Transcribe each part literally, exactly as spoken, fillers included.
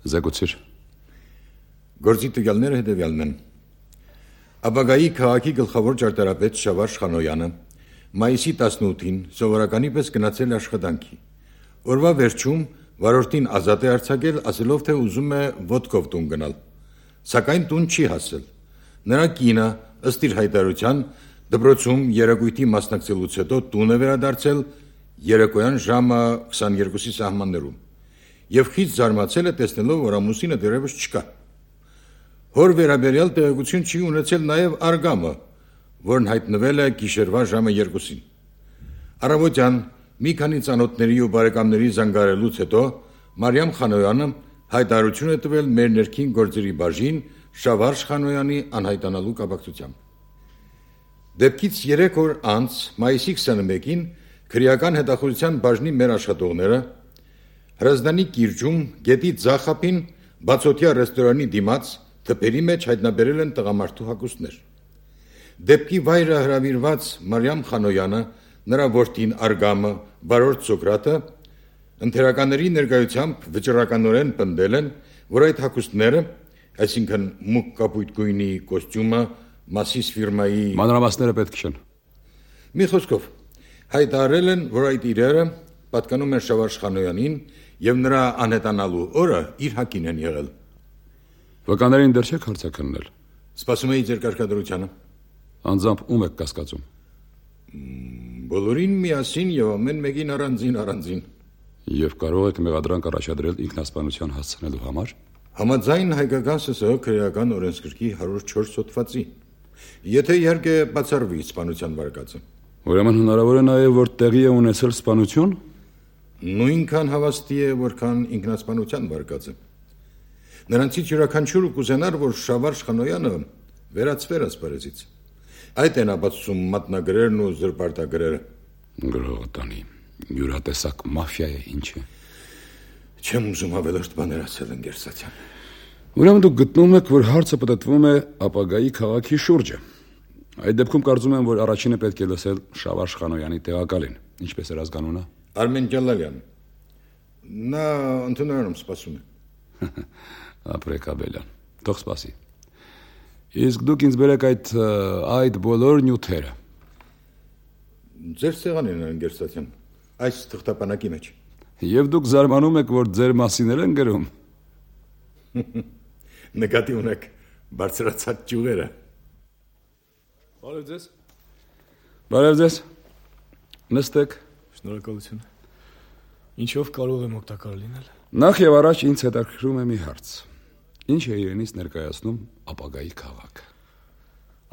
Զեկուցիր։ Գործի տվյալները հետևյալն են։ Ապագայի քաղաքի գլխավոր ճարտարապետ Շավարժ Խանոյանը մայիսի տասնութին սովորականի պես գնացել աշխատանքի։ Օրվա վերջում վարորդին ազատ է արձակել, ասելով, թե ուզում է ոտքով տուն գնալ, սակայն տուն չի հասել։ Նրա կինը, ըստ իր հայտարարության, դպրոցում երեկույթի մասնակցելուց հետո տուն է վերադարձել երեկոյան ժամը քսաներկուսի սահմաններում եւ խիստ զարմացել է տեսնելով, որ ամուսինը դեռևս չկա։ Հոր վերաբերյալ տեղեկություն չի ունեցել նաեւ արգամը, որն հայտնվել է գիշերվա ժամը երկուսին։ Առավոտյան մի քանի ծանոթների ու բարեկամների զանգարելուց հետո Մարիամ Խանոյանը հայտարարություն է տվել մեր ներքին գործերի բաժին Շավարժ Խանոյանի անհայտանալու կապակցությամբ։ Դեպքից երեք օր անց մայիսի քսաներկուին քրեական հետախուզության բաժնի մեր աշխատողները Հրազդանի կիրճում գետի ձախապին բացօթյա ռեստորանի դիմաց թփերի մեջ հայտնաբերել են տղամարդու հագուստներ։ Դեպքի վայրը հրավիրված Մարիամ Խանոյանը, նրա որդին Արգամը, բարորդ Սոկրատը ընթերականների ներկայությամբ վճռականորեն պնդել են, որ այդ հագուստները, այսինքն մուգ կապույտ գույնի կոստյումը, Մասիս ֆիրմայի մանրամասները պետք չեն։ Մի խոսքով հայտարարել են, որ այդ իրերը պատկանում են Շավարժ Խանոյանին եւ նրա անհետանալու օրը իր հակին են եղել։ Վկաներին դեռ չեք հարցաքննել։ Սպասում էի ձեր կարգադրությանը։ Անձամբ ում եք կասկածում։ Բոլորին միասին եւ ամեն մեկին առանձին առանձին։ Եվ կարող եք մեղադրանք առաջադրել ինքնասպանության հասցնելու համար։ Համաձայն հայկական ՍՍՀ քրեական օրենսգրքի հարյուր չորս հոդվածի։ Եթե իհարկե բացառվի սպանության վարկածը։ Ուրեմն հնարավոր է նաեւ որ տեղի է ունեցել սպանություն։ Նույնքան հավաստի է, որքան ինքնասպանության վարկածը։ Նրանցից յուրաքանչյուրը կուզենար, որ Շավարժ Խանոյանը վերացվեր ասպարեզից։ Այդ են ապացուցում մատնագրերն ու զրպարտագրերը։ Գրողտանի յուրատեսակ մաֆիա է, ինչ է։ Չեմ ուզում ավելորդ բաներ ասել ընկերսացյան։ Ուրեմն դուք գտնում եք, որ հարցը պատտվում է ապագայի քաղաքի շուրջը։ Այդ դեպքում կարծում եմ, որ առաջինը պետք է լսել Շավարժ Խանոյանի տեղակալին։ Ինչպես էր ազգանունը։ Արմեն Ջալալյան։ Նա ընդունարանում սպասում է։ Ապրեք Աբելյան։ Թող սպասի։ Իսկ դուք ինձ բերեք այդ այդ բոլոր նյութերը։ Ձեր սեղանին են ընկերսացյան։ Այս թղթապանակի մեջ։ Եվ դուք զարմանում եք, որ ձեր մասին են գրում։ Նկատի ունեք բարձրացած ճյուղերը։ Բարև ձեզ։ Բարև ձեզ։ Նստեք։ Շնորհակալություն։ Ինչով կարող եմ օգտակար լինել։ Նախ եւ առաջ ինձ հետաքրքրում է մի հարց։ Ինչ է իրենից ներկայացնում ապագայի քաղաքը։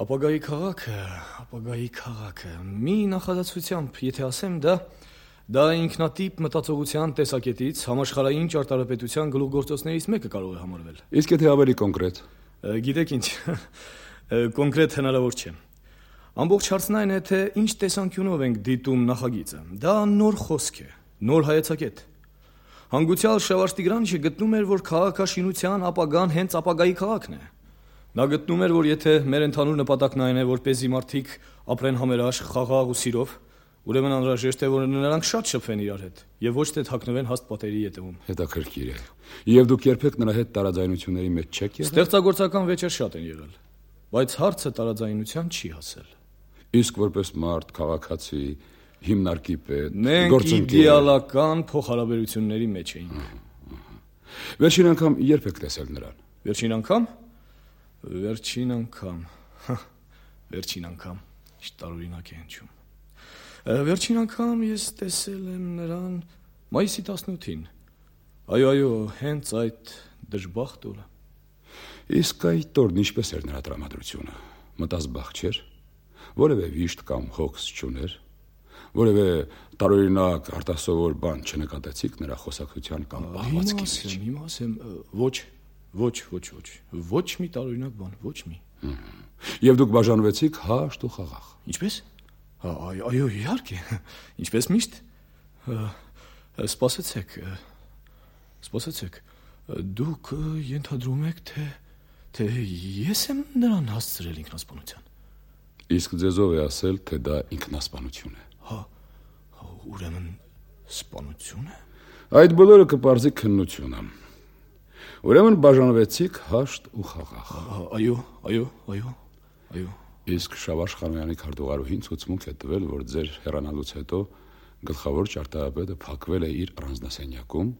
Ապագայի քաղաքը, ապագայի քաղաքը։ Մի նախադասությամբ, եթե ասեմ, դա դա ինքնատիպ մտածողության տեսակետից համաշխարհային ճարտարապետության գլուխգործոցներից մեկը կարող է համարվել։ Իսկ եթե ավելի կոնկրետ։ Գիտեք ինչ, կոնկրետ հնարավոր չէ։ Ամբողջ հարցն այն է, թե ինչ տեսանկյունով ենք դիտում նախագիծը։ Դա նոր խոսք է, նոր հայեցակետ։ Հանգուցյալ Շավարժ Տիգրանիչը գտնում էր, որ քաղաքաշինության ապագան հենց ապագայի քաղաքն է։ Նա գտնում էր, որ եթե մեր ընդհանուր նպատակն այն է, որպեսզի մարդիկ ապրեն համերաշխ, խաղաղ ու սիրով, ուրեմն անհրաժեշտ է, որ նրանք շատ շփվեն իրար հետ եւ ոչ թե թաքնվեն հաստ պատերի ետևում։ Հետաքրքիր է։ Եվ դուք երբեք նրա հետ տարաձայնությունների մեջ չեք եղել։ Ստեղծագործական վեճեր շատ են եղել, բայց հարցը տարաձայնության չի հասել։ Իսկ որպես մարդ, քաղաքացի, հիմնարկի պետ, մենք իդեալական փոխհարաբերությունների մեջ էինք։ Վերջին անգամ երբ եք տեսել նրան։ Վերջին անգամ։ Վերջին անգամ։ Վերջին անգամ։ Ինչ տարօրինակ է հնչում։ Վերջին անգամ ես տեսել եմ նրան մայիսի տասնութին։ Այո, այո, հենց այդ դժբախտ օրը։ Իսկ այդ օրն ինչպես էր նրա տրամադրությունը։ Մտազբաղ չէր։ Որևէ վիշտ կամ հոգս չուներ։ Որևէ տարօրինակ արտասովոր բան չնկատեցիք նրա խոսակցության կամ պահվածքի մեջ։ Հիմա ասեմ, ոչ, ոչ, ոչ, ոչ, ոչ մի տարօրինակ բան, ոչ մի։ Եվ դուք բաժանվեցիք հաշտ ու խաղաղ։ Ինչպես։ Այո, այո, իհարկե։ Ինչպես միշտ։ Սպասեցեք։ Սպասեցեք։ Դուք ենթադրում եք, թե թե ես եմ նրան հասցրել ինքնասպանության։ Իսկ ձեզով է ասել, թե դա ինքնասպանություն է։ Հա, ուրեմն սպանություն է։ Այդ բոլորը կպարզի քննությունը։ Ուրեմն բաժանվեցիք հաշտ ու խաղաղ։ Այո, այո, այո, այո։ Իսկ Շավարժ Խանոյանի քարտուղարուհին ցույցմունք է տվել, որ ձեր հեռանալուց հետո գլխավոր ճարտարապետը փակվել է իր առանձնասենյակում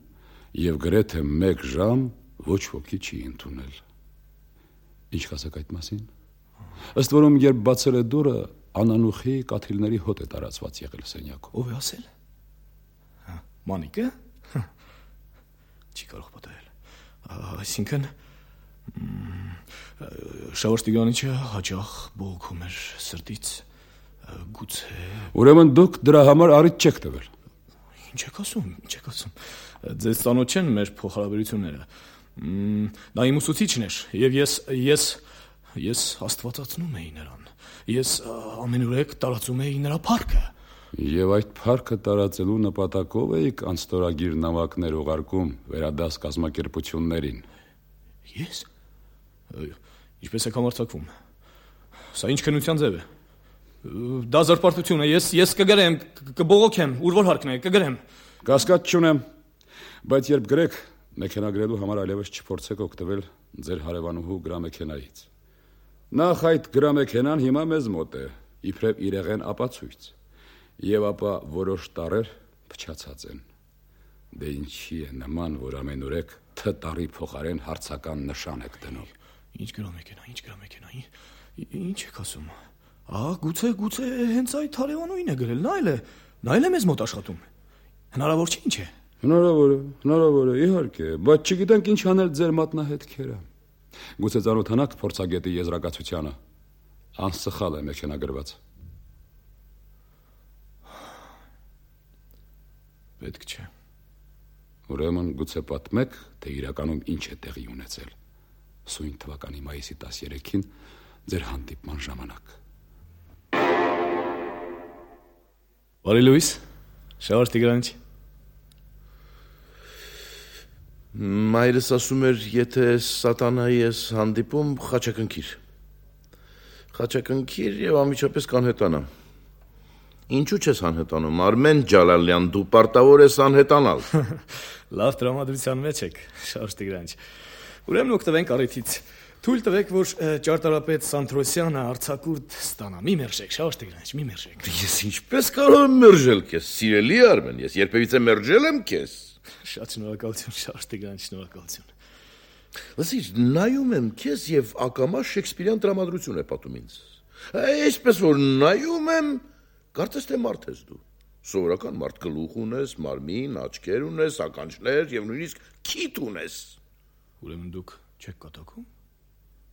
եւ գրեթե մեկ ժամ ոչ ոքի չի ընդունել։ Ինչ կասեք այդ մասին։ Ըստ որում երբ բացել է դուռը, անանուխի կաթիլների հոտ է տարածված եղել սենյակում։ Ով է ասել։ Հա, Մանիկը։ Չի կարող պատահել։ Այսինքն Շավարժ Տիգրանիչը հաճախ բողոքում էր սրտից, գուցե։ Ուրեմն դուք դրա համար առիթ չեք տվել։ Ինչ եք ասում, ինչ եք ասում։ Ձեզ ծանոթ չեն մեր փոխհարաբերությունները։ Նա իմ ուսուցիչն էր, եւ ես ես ես աստվածացնում էի նրան։ Ես ամենուրեք տարածում էի նրա փառքը։ Եվ այդ փառքը տարածելու նպատակով էիք անստորագիր նամակներ ուղարկում վերադաս կազմակերպություններին։ Ես։ Ինչպես եք համարձակվում։ Սա ինչ քննության ձև է։ Դա զրպարտություն է։ Ես ես կգրեմ, կբողոքեմ, ուր որ հարկն է, կգրեմ։ Կասկած չունեմ, բայց երբ գրեք, մեքենագրելու համար այլևս չփորձեք օգտվել ձեր հարևանուհու գրամեքենայից։ Նախ այդ գրամեքենան հիմա մեզ մոտ է, իբրև իրեղեն ապացույց, եւ ապա որոշ տարեր փչացած են։ Դե ինչի է նման, որ ամենուրեք թ տարի փոխարեն հարցական նշան եք դնում։ Ինչ գրամեքենա, ինչ գրամեքենա, ինչ եք ասում։ Ահա, գուցե, գուցե հենց այդ հարևանուին է գրել, նա էլ է, նա էլ է մեզ մոտ աշխատում։ Հնարավոր չէ, ինչ է։ Հնարավոր է, հնարավոր է, իհարկե, բայց չգիտենք ինչ անել ձեր մատնահետքերը։ Գուցե ծանոթանաք փորձագետի եզրակացությանը։ Անսխալ է մեքենագրված։ Պետք չէ։ Ուրեմն գուցե պատմեք, թե իրականում ինչ է տեղի ունեցել սույն թվականի մայիսի տասներեքին ձեր հանդիպման ժամանակ։ Բարի լույս, Շավարժ Տիգրանիչ։ Մայրս ասում էր, եթե սատանայի ես հանդիպում, խաչակնքիր։ Խաչակնքիր եւ ամիջապես կանհետանամ։ Ինչու չես անհետանում, Արմեն Ջալալյան, դու պարտավոր ես անհետանալ։ Լավ տրամադրության մեջ եք, Շավարժ Տիգրանիչ։ Ուրեմն օգտվենք առիթից։ Թույլ տվեք, որ ճարտարապետ Սանթրոսյանը արձակուրդ ստանա։ Մի մերժեք, Շավարժ Տիգրանիչ, մի մերժեք։ Ես ինչպես կարող եմ մերժել քեզ, սիրելի Արմեն, ես երբևիցե մերժել եմ քեզ։ Շատ շնորհակալություն, Շավարժ Տիգրանիչ, շնորհակալություն։ Լսիր, նայում եմ քեզ եւ ակամա շեքսպիրյան տրամադրություն է պատում ինձ։ Այսպես որ նայում եմ, կարծես թե մարդ ես դու։ Սովորական մարդ գլուխ ունես, մարմին, աչքեր ունես, ականջներ եւ նույնիսկ քիթ ունես։ Ուրեմն դուք չեք կատակում։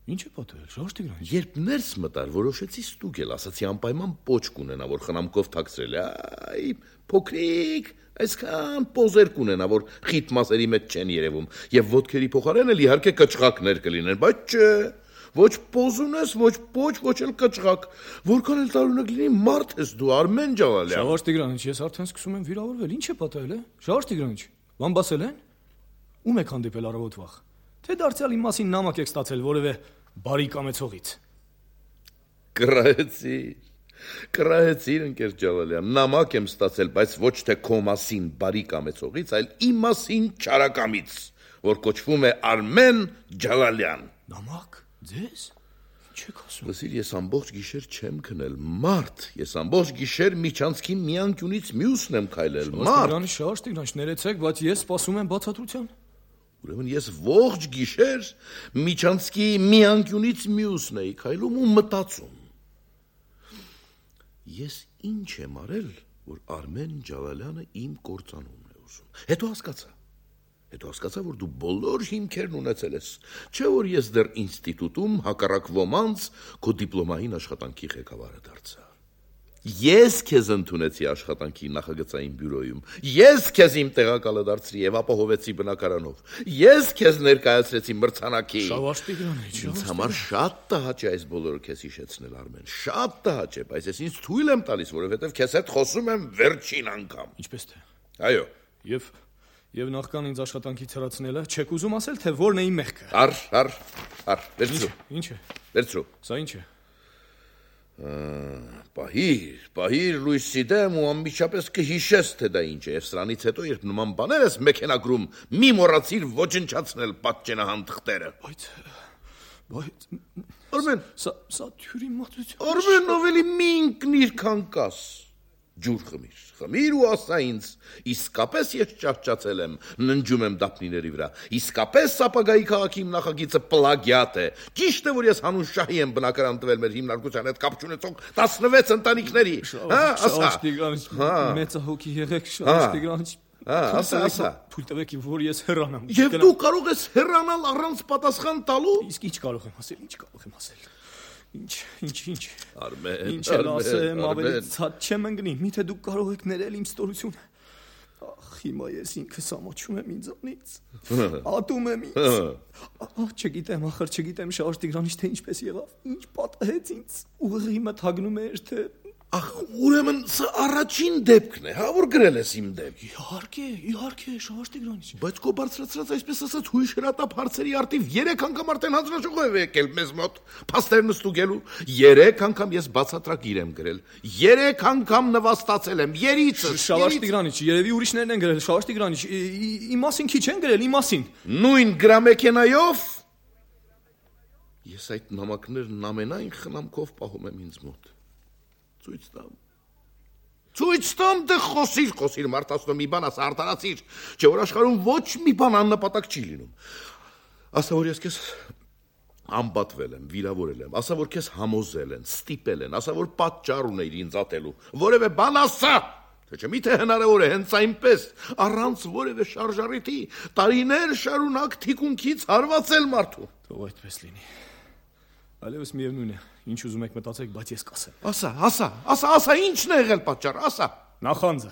Ինչ է պատահել, Շավարժ Տիգրանիչ։ Երբ ներս մտար, որոշեցի ստուգել, ասացի անպայման պոչ կունենա, որ խնամքով թաքցրել է։ Այ, փոքրիկ, այսքան պոզեր կունենա, որ խիտ մասերի մեջ չեն երևում, եւ ոտքերի փոխարեն էլ իհարկե կճղակներ կլինեն, բայց չէ։ Ոչ պոզ ունես, ոչ պոչ, ոչ էլ կճղակ։ Որքան էլ տարօրինակ լինի, մարդ ես դու, Արմեն Ջալալյան։ Շավարժ Տիգրանիչ, ես արդեն սկսում եմ վիրավորվել։ Ինչ է պատահել, է։ Շավարժ Տիգրանիչ, բամբասել են։ Ում եք հանդիպել առավոտ վաղ։ Թե դարձյալ իմ մասին նամակ եք ստացել որևէ բարի կամեցողից։ Կռահեցիր։ Կռահեցիր, ընկեր Ջալալյան, նամակ եմ ստացել, բայց ոչ թե քո մասին բարի կամեցողից, այլ իմ մասին չարակամից, որ կոչվում է Արմեն Ջալալյան։ Նամակ։ Ձեզ։ Ինչ եք ասում։ Լսիր, ես ամբողջ գիշեր չեմ քնել, մարդ, ես ամբողջ գիշեր միջանցքի մի անկյունից մյուսն եմ քայլել, մարդ։ Շավարժ Տիգրանիչ, ներեցեք, բայց ես սպասում եմ բացատրության։ Ուրեմն ես ողջ գիշեր միջանցքի մի անկյունից մյուսն էի քայլում ու մտածում։ Ես ինչ եմ արել, որ Արմեն Ջալալյանը իմ կործանումն է ուզում։ Հետո հասկացա։ Հետո հասկացա, որ դու բոլոր հիմքերն ունեցել ես։ Չէ՞ որ ես դեռ ինստիտուտում հակառակ ոմանց քո դիպլոմային աշխատանքի ղեկավարը դարձա։ Ես քեզ ընդունեցի աշխատանքի նախագծային բյուրոյում։ Ես քեզ իմ տեղակալը դարձրի եւ ապահովեցի բնակարանով։ Ես քեզ ներկայացրեցի մրցանակի։ Շավարժ Տիգրանիչ, ինձ համար շատ տհաճ է այս բոլորը քեզ հիշեցնել, Արմեն։ Շատ տհաճ է, բայց ես ինձ թույլ եմ տալիս, որովհետեւ քեզ հետ խոսում եմ վերջին անգամ։ Ինչպես թե։ Այո։ Եվ եւ նախքան ինձ աշխատանքից հրացնելը, չեք ուզում ասել, թե որն է իմ մեղքը։ Առ, առ, առ, վերցրու։ Ինչ է։ Վերցրու։ Սա ինչ է։ Պահիր, պահիր լույսի դեմ ու անմիջապես կհիշես, թե դա ինչ է, և սրանից հետո, երբ նման բաներ ես մեքենագրում, մի մոռացիր ոչնչացնել պատճենահան թղթերը։ Բայց, բայց, Արմեն, սա թյուրի մատություն։ Արմեն, ավելի մի ինքնիր քան կաս։ Ջուր խմիր, խմիր ու ասա ինձ, իսկապես ես ճահճացել եմ, ննջում եմ դափնիների վրա, իսկապես ապագայի քաղաքի իմ նախագիծը պլագիատ է, ճիշտ է, որ ես հանուն շահի եմ բնակարան տվել մեր հիմնարկության հետ կապ չունեցող տասնվեց ընտանիքների, հա, ասա, մեծ հոգի եղեք, Շավարժ Տիգրանիչ, ասա, ասա, թույլ տվեք, որ ես հեռանամ։ Եվ դու կարող ես հեռանալ առանց պատասխան տալու։ Իսկ ինչ կարող եմ ասել, ինչ կարող եմ ասել։ Ինչ, ինչ, ինչ։ Արմեն, Ինչ էլ ասեմ, ավելի ցած չեմ ընկնի, միթե դուք կարող եք ներել իմ ստորությունը։ Ախ, հիմա ես ինքս ամոչում եմ ինձանից։ Ատում եմ ինձ։ Ահ, չգիտեմ, ախր չգիտեմ Շավարժ Տիգրանիչ, թե ինչպես եղավ, ինչ պատահեց ինձ։ Ուղղի մթագնում էր, թե Ախ, ուրեմն սա առաջին դեպքն է, հա, որ գրել ես իմ դեմ։ Իհարկե, իհարկե, Շավարժ Տիգրանիչ։ Բայց քո բարձրացրած այսպես ասած հույժ հրատապ հարցերի արդիվ երեք անգամ արդեն հանձնաժողով է եկել մեզ մոտ, փաստերն ստուգելու։ Երեք անգամ ես բացատրագիր եմ գրել։ Երեք անգամ նվաստացել եմ, երիցս։ Շավարժ Տիգրանիչ, երևի ուրիշներն են գրել, Շավարժ Տիգրանիչ, իմ մասին քիչ են գրել, իմ մասին։ Նույն գրամեքենայով ես այդ նամակներն ամենայն խնամքով պահում եմ ինձ մոտ։ Ցույց տամ։ Ցույց տամ, դե խոսիր, խոսիր, մարդասնո մի բան ասա, արտարացիր, չէ որ աշխարհում ոչ մի բան աննպատակ չի լինում։ Ասա որ ես քեզ ամբատվել եմ, վիրավորել եմ, ասա որ քեզ համոզել են, ստիպել են, ասա որ պատճառ ունեիր ինձ ատելու։ Որևէ բան ասա։ Թե չէ միթե հնարավոր է հենց այնպես, առանց որևէ շարժառիթի, տարիներ շարունակ թիկունքից հարվածել մարդու։ Թող այդպես լինի։ Այլևս միևնույն է, ինչ ուզում եք մտածեք, բայց ես կասեմ։ Ասա, ասա, ասա, ասա, ինչն է եղել պատճառը, ասա։ Նախանձը։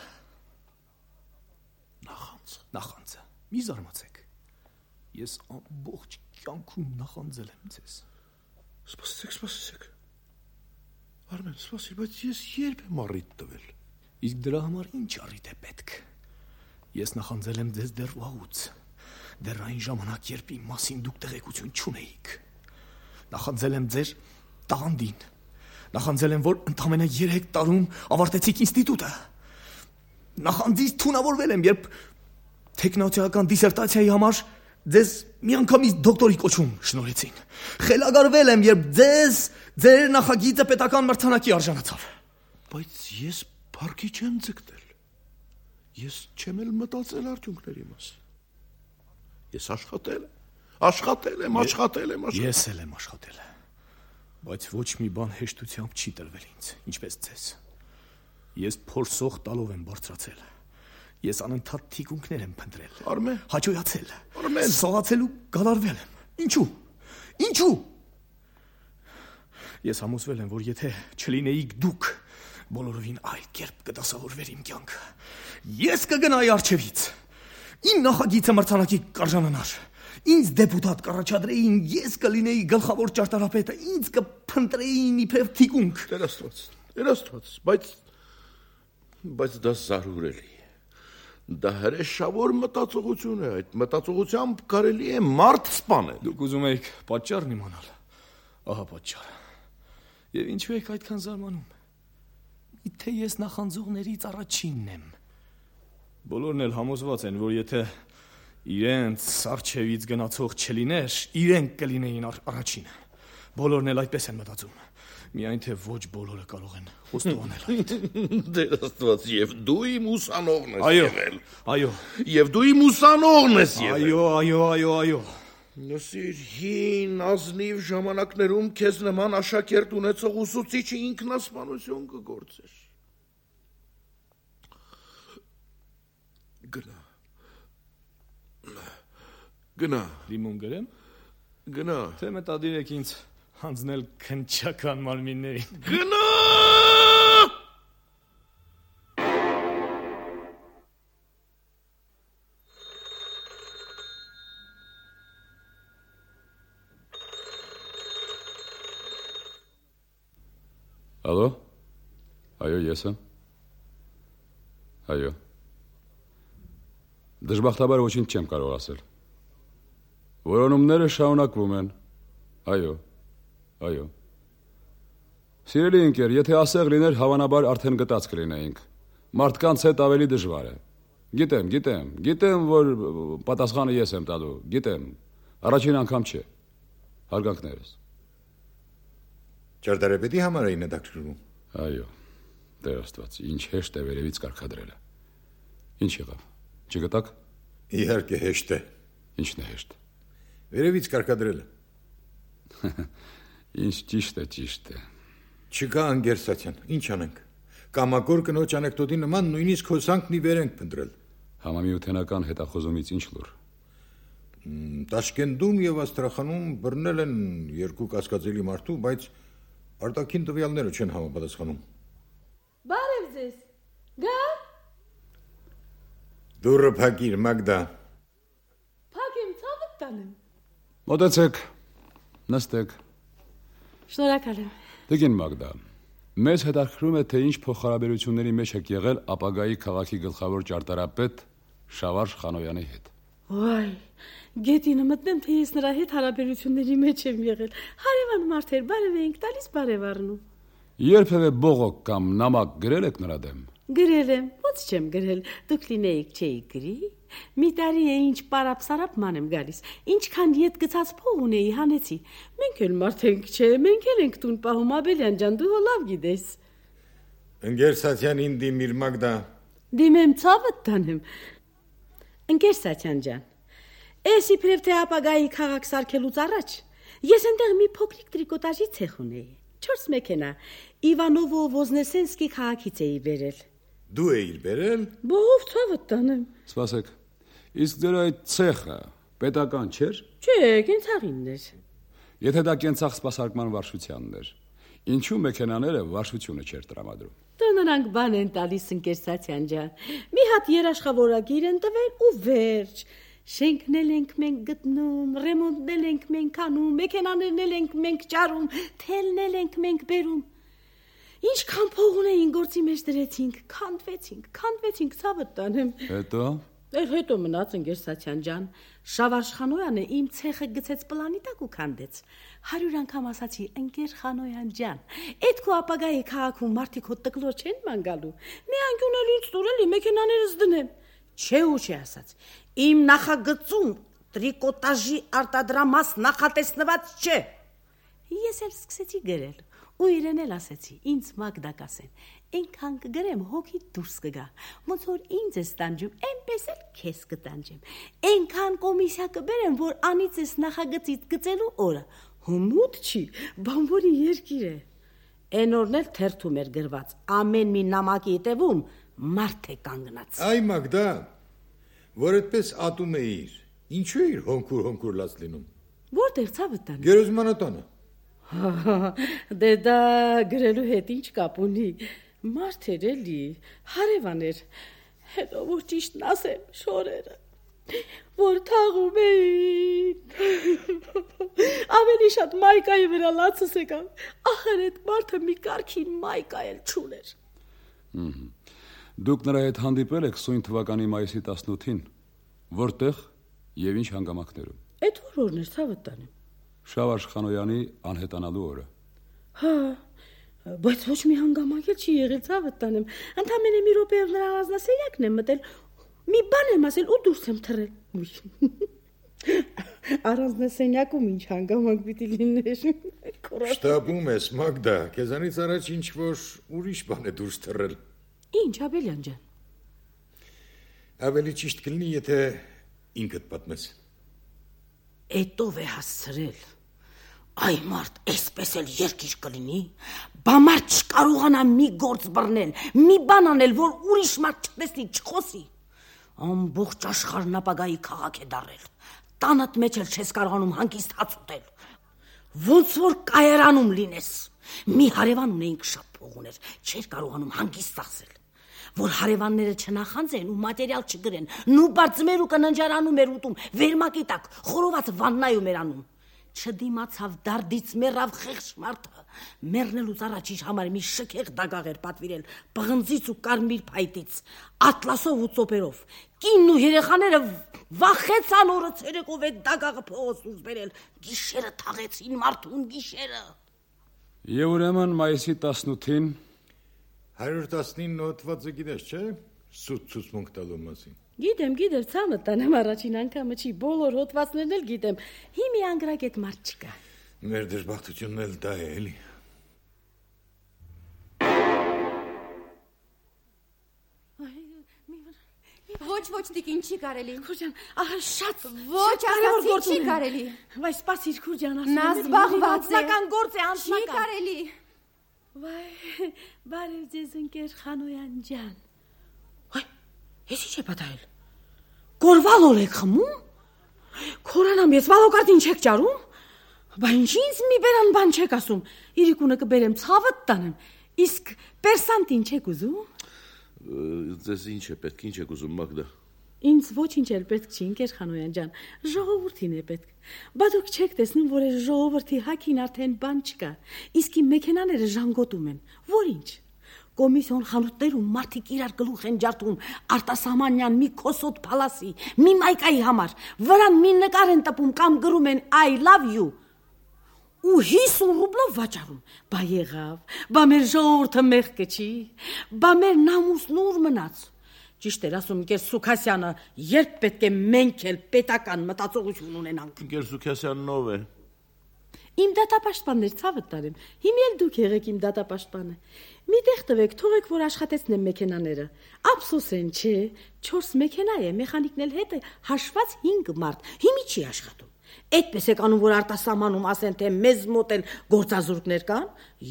Նախանձը։ Նախանձը։ Մի զարմացեք։ Ես ամբողջ կյանքում նախանձել եմ ձեզ։ Սպասեցեք, սպասեցեք։ Արմեն, սպասիր, բայց ես երբ եմ առիթ տվել։ Իսկ դրա համար ինչ առիթ է պետք։ Ես նախանձել եմ ձեզ դեռ վաղուց։ Դեռ այն ժամանակ, երբ իմ մասին դուք տեղեկություն չունեիք։ Նախանձել եմ ձեր տաղանդին։ Նախանձել եմ, որ ընդամենը երեք տարում ավարտեցիք ինստիտուտը։ Նախանձից թունավորվել եմ, երբ տեխնոլոգիական դիսերտացիայի համար ձեզ միանգամից դոկտորի կոչում շնորհեցին։ Խելագարվել եմ, երբ ձեզ ձեր նախագիծը պետական մրցանակի արժանացավ։ Բայց ես փառքի չեմ ձգտել։ Ես չեմ էլ մտածել արդյունքների մասին։ Ես աշխատել եմ, աշխատել եմ, աշխատել եմ, աշխատել։ Ես էլ եմ աշխատել։ Բայց ոչ մի բան հեշտությամբ չի տրվել ինձ, ինչպես ձեզ։ Ես փորձող տալով եմ բարձրացել։ Ես անընդհատ թիկունքներ եմ փնտրել։ Արմեն, հաջողացել։ Արմեն, սողացել ու գալարվել եմ։ Ինչու։ Ինչու։ Ես համոզվել եմ, որ եթե չլինեիք դուք, բոլորովին այլ կերպ կդասավորվեր իմ կյանքը։ Ես կգնայի առջևից։ Իմ նախագիծը մրցանակի կարժանանար։ Ինձ դեպուտատ կառաջադրեին, ես կլինեի գլխավոր ճարտարապետը, ինձ կփնտրեին իբրև թիկունք։ Տեր Աստված, Տեր Աստված, բայց բայց դա զարուրելի է։ Դա հրեշավոր մտածողություն է, այդ մտածողությամբ կարելի է մարդ սպանել։ Դուք ուզում եք պատճառն իմանալ։ Ահա պատճառը։ Եվ ինչու եք այդքան զարմանում։ Միթե ես նախանձողներից առաջինն եմ։ Բոլորն էլ համոզված են, որ եթե իրենց արչևից գնացող չլիներ, իրենք կլինեին առաջինը։ Բոլորն էլ այդպես են մտածում։ Միայն թե ոչ բոլորը կարող են խոստովանել այդ։ Տեր Աստված, եւ դու իմ ուսանողն ես եղել։ Այո, Եվ դու իմ ուսանողն ես եղել։ այո, այո, այո, այո։ Նսիր հին ազնիվ ժամանակներում քեզ նման աշակերտ ունեցող ուսուցիչը ինքնասպանություն կգործեր։ Գնա։ Գնա։ Լիմոն գրեմ։ Գնա։ Թե մտադիր եք ինձ հանձնել քնչական մարմիններին։ Գնա։ Ալո։ Այո, ես եմ։ Այո։ Դժբախտաբար ոչինչ չեմ կարող ասել։ Որոնումները շարունակվում են։ Այո։ Այո։ Սիրելի ընկեր, եթե ասեղ լիներ, հավանաբար արդեն գտած կլինեինք։ Մարդկանց հետ ավելի դժվար է։ Գիտեմ, գիտեմ, գիտեմ, որ պատասխանը ես եմ տալու, գիտեմ։ Առաջին անգամ չէ։ Հարգանքներս։ Ճարտարապետի համար էին հետաքրքրում։ Այո, Տեր Աստված, ինչ հեշտ է վերևից կարգադրելը։ Ինչ եղավ։ Չգտաք։ Իհարկե հեշտ է։ Ինչն է հեշտ։ Վերևից կարգադրելը։ Ինչ ճիշտ է, ճիշտ է։ Չկա անգերսացիան, ինչ անենք։ Կամակոր կնոջ անեկդոտի նման նույնիսկ հոսանքն ի վեր ենք փնտրել։ Համամիութենական հետախոզումից ինչ լուր։ Տաշկենտում եւ Աստրախանում բռնել են երկու կասկածելի մարդու, բայց արտաքին տվյալները չեն համապատասխանում։ Բարև ձեզ։ Գա։ Դուրը փակիր, Մագդա։ Փակեմ, ցավդ տանեմ։ Մոտեցեք, նստեք։ Շնորհակալ եմ։ Տիկին Մագդա, մեզ հետաքրքրում է, թե ինչ փոխհարաբերությունների մեջ եք եղել ապագայի քաղաքի գլխավոր ճարտարապետ Շավարժ Խանոյանի հետ։ Ոայ, գետինը մտնեմ, թե ես նրա հետ հարաբերությունների մեջ եմ եղել։ Հարևան մարդեր, բարև էինք տալիս, բարև առնում։ Երբևէ բողոք կամ նամակ գրել եք նրա դեմ։ Գրել եմ, ո՞նց չեմ գրել, դուք լինեիք չէի գրի։ Մի տարի է ինչ պարապ-սարապ ման եմ գալիս, ինչքան ետ գցած փող ունեի հանեցի։ Մենք էլ մարդ ենք, չէ, մենք էլ ենք տուն պահում, Աբելյան ջան, դու հո լավ գիտես։ Ընկերսացիան ինձ դիմիր, Մագդա։ Դիմեմ, ցավդ տանեմ։ Ընկերսացիան ջան, էս իբրև թե ապագայի քաղաք սարքելուց առաջ ես այնտեղ մի փոքրիկ տրիկոտաժի ցեխ ունեի։ Չորս մեքենա Իվանովո-Ոզնեսենսկի քաղաքից էի բերել։ Դու էիր բերել։ Բողով ցավդ տանեմ։ Սպասեք, իսկ ձեր այդ ցեխը պետական չէր։ Չէ, կենցաղինն էր։ Եթե դա կենցաղ սպասարկման վարշությանն էր, ինչու մեքենաները վարշությունը չէր տրամադրում։ Դե նրանք բան են տալիս, ընկերսացիան ջան։ Մի հատ երաշխավորագիր են տվել ու վերջ։ Շենքնել ենք մենք գտնում, ռեմոնտնել ենք մենք անում, մեքենաներն ենք մենք ճարում, թելնել ենք մենք բերում։ Ինչքան փող ունեին գործի մեջ դրեցինք, քանդվեցինք, քանդվեցինք, ցավդ տանեմ։ Հետո Էր հետո մնաց ընկերսացիան ջան, Շավարժ Խանոյանը իմ ցեխը գցեց պլանի տակ ու քանդեց։ Հարյուր անգամ ասացի, ընկեր Խանոյան ջան, այդ քո ապագայի քաղաքում մարդիկ հո տկլոր չեն ման գալու։ Մի անկյուն էլ ինձ տուր էլի մեքենաներս դնեմ։ Չէ ու չի ասաց։ Իմ նախագծում տրիկոտաժի արտադրամաս նախատեսնված չէ։ Ես էլ սկսեցի գրել ու իրեն էլ ասեցի, ինձ Մագդա կասեն, այնքան կգրեմ հոգի դուրս կգա, ոնց որ ինձ ես տանջում, այնպես էլ քեզ կտանջեմ, այնքան կոմիսիա կբերեմ, որ անիծես նախագծից գծելու օրը, հմուտ չի, բանվորի երկիր է։ Այն օրն էլ թերթում էր գրված, ամեն մի նամակի հետևում մարդ է կանգնած։ Այ Մագդա, որ այդպես ատում էիր, ինչու էիր հոնքուր-հոնքուր լաց լինում։ Որտեղ ցավդ տանը։ Գերեզմանատանը։ Դե դա գրելու հետ ինչ կապ ունի։ Մարդ էր էլի, հարևան էր։ Հետո որ ճիշտն ասեմ, շորերը, որ թաղում էին։ Ավելի շատ մայկայի վրա լացս եկավ։ Ախր այդ մարդը մի կարգին մայկա էլ չուներ։ Դուք նրա հետ հանդիպել եք սույն թվականի մայիսի տասնութին, որտեղ եւ ինչ հանգամանքներում։ Այդ որ օրն էր, ցավդ տանեմ։ Շավարժ Խանոյանի անհետանալու օրը։ Հա, բայց ոչ մի հանգամանք էլ չի եղել, ցավդ տանեմ։ Ընդամենը մի րոպեով նրա ազնասենյակն եմ մտել, մի բան եմ ասել ու դուրս եմ թռել։ Առանձնասենյակում ինչ հանգամանք պիտի լիներ։ Շտապում ես, Մագդա, քեզանից առաջ ինչ որ ուրիշ բան է դուրս թռել։ Ինչ, Աբելյան ջան։ Ավելի ճիշտ կլինի, եթե ինքդ պատմես։ Էտով է հասցրել։ Այ մարդ, այսպես էլ երկիր կլինի, բա մարդ չկարողանա մի գործ բռնել, մի բան անել, որ ուրիշ մարդ չտեսնի, չխոսի։ Ամբողջ աշխարհն ապագայի քաղաք է դառել։ Տանդ մեջ էլ չես կարողանում հանգիստ հաց ուտել։ Ոնց որ կայարանում լինես։ Մի հարևան ունեինք, շատ փող ուներ, չէր կարողանում հանգիստ ծախսել։ Որ հարևանները չնախանձեն ու մատերիալ չգրեն, նու բարձմեր ու կննջարանում էր ուտում, վերմակի տակ, խորոված վաննայում էր անում։ Չդիմացավ դարդից մեռավ խեղճ մարդը, մեռնելուց առաջ իր համար մի շքեղ դագաղ էր պատվիրել, պղնձից ու կարմիր փայտից, ատլասով ու ծոպերով։ Կինն ու երեխաները վախեցան օրը ցերեկով այդ դագաղը փողոց դուրս բերել, գիշերը թաղեցին մարդուն գիշերը։ Եվ ուրեմն մայիսի տասնութին հարյուր տասնինը հոդվածը գիտես, չէ՞։ Սուտ ցուցմունք տալու մասին։ Գիտեմ, գիտեմ, ցամը տանեմ առաջին անգամը չի, բոլոր հոդվածներն էլ գիտեմ։ Հիմի անգրագետ մարդ չկա։ Մեր դժբախտությունն էլ դա է, էլի։ Ոչ, ոչ, տիկին, չի կարելի։ Քուրջան, ահա շատ Ոչ, ասացի, չի կարելի։ Վայ, սպասիր, Քուրջան, ասում եմ։ Նա զբաղված է։ Անձնական գործ է, անձնական։ Չի կարելի։ Վայ, բարև ձեզ ընկեր Խանոյան ջան։ Վայ, ես ի՞նչ է պատահել։ Գորվալով եք խմում։ Քորանամ, ես վալոկարտին չեք ճարում։ Բա ինչ ինձ մի բերան բան չեք ասում։ Իրիկունը կբերեմ ցավդ տանեմ։ Իսկ պերսանտին չեք ուզում։ Ձեզ ինչ է պետք, ինչ եք ուզում, Մագդա։ Ինձ ոչինչ էլ պետք չի, ընկեր Խանոյան ջան, ժողովրդին է պետք։ Բա դուք չեք տեսնում, որ այս ժողովրդի հակին արդեն բան չկա, իսկ իմ մեքենաները ժանգոտում են, որ ինչ։ Կոմիսիոն խանութներում մարդիկ իրար գլուխ են ջարդում արտասահմանյան մի քոսոտ փալասի, մի մայկայի համար, վրան մի նկար են տպում կամ գրում են I love you։ Ու հիսուն ռուբլով վաճառում։ Բա եղավ, բա մեր ժողովուրդը մեղքը չի, բա մեր նամուսն ուր մնաց։ Ճիշտ էր ասում Գեր Սուքասյանը, երբ պետք է մենք էլ պետական մտածողություն ունենանք։ Գեր Սուքասյանն ով է։ Իմ դատապաշտպաններ ցավը տարեմ։ Հիմի էլ դուք եղեք իմ դատապաշտպանը։ Մի տեղ տվեք, թողեք որ աշխատեցնեմ մեքենաները։ Ափսոս են, չէ, չորս մեքենա է, մեխանիկն էլ հետ է հաշված հինգ մարդ։ Հիմի չի աշխատում։ Այդպես եք անում, որ արտասահմանում ասեն, թե մեզ մոտ էլ գործազուրկներ կան,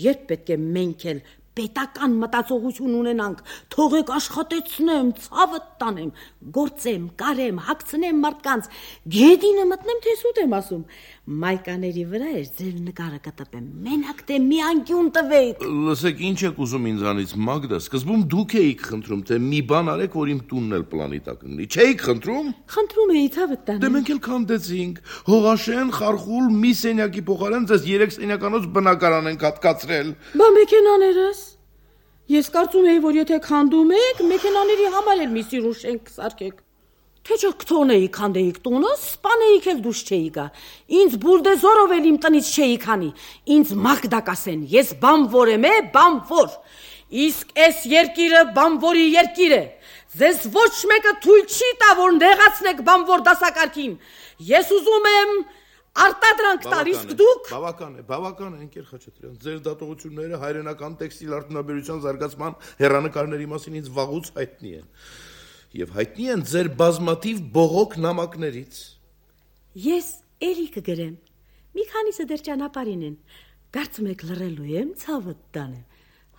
երբ պետք է մենք էլ պետական մտածողություն ունենանք, թողեք աշխատեցնեմ, ցավը տանեմ, գործեմ, կարեմ, հագցնեմ մարդկանց, գետինը մտնեմ, թե սուտ եմ ասում։ Մայկաների վրա էր ձեր նկարը կտպեմ, մենակ թե մի անկյուն տվեք։ Լսեք, ինչ եք ուզում ինձանից, Մագդա, սկզբում դուք էիք խնդրում, թե մի բան արեք, որ իմ տունն էլ պլանի տակ լինի։ Չէիք խնդրում։ Խնդրում էի ցավը տանեմ։ Դե մենք էլ քանդեցինք։ Հողաշեն, խարխուլ, մի սենյակի փոխարեն ձեզ երեք սենյականոց բնակարան ենք հատկացրել։ Բա մեքենաներս։ Ես կարծում էի, որ եթե քանդում եք, մեքենաների համար էլ մի սիրուն շենք սարքեք։ Թե չէ կթողնեի քանդեիք տունը, սպանեիք էլ դուշ չէի գա։ Ինձ բուրդեզորով էլ իմ տնից չէի քանի։ Ինձ Մագդա կասեն, ես բանվոր եմ, է, բանվոր։ Իսկ այս երկիրը բանվորի երկիր է։ Ձեզ ոչ մեկը թույլ չի տա, որ նեղացնեք բանվոր դասակարգին։ Ես ուզում եմ արտադրանք տալ, իսկ դուք բավական է, բավական է, ընկեր Խաչատրյան։ Ձեր դատողությունները հայրենական տեքստիլ արդյունաբերության զարգացման հեռանկարների մասին ինձ վաղուց հայտնի են։ Եվ հայտնի են ձեր բազմաթիվ բողոք նամակներից։ Ես էլի կգրեմ։ Մի քանիսը դեռ ճանապարհին են։ Կարծում եք լռելու եմ, ցավը տանեմ։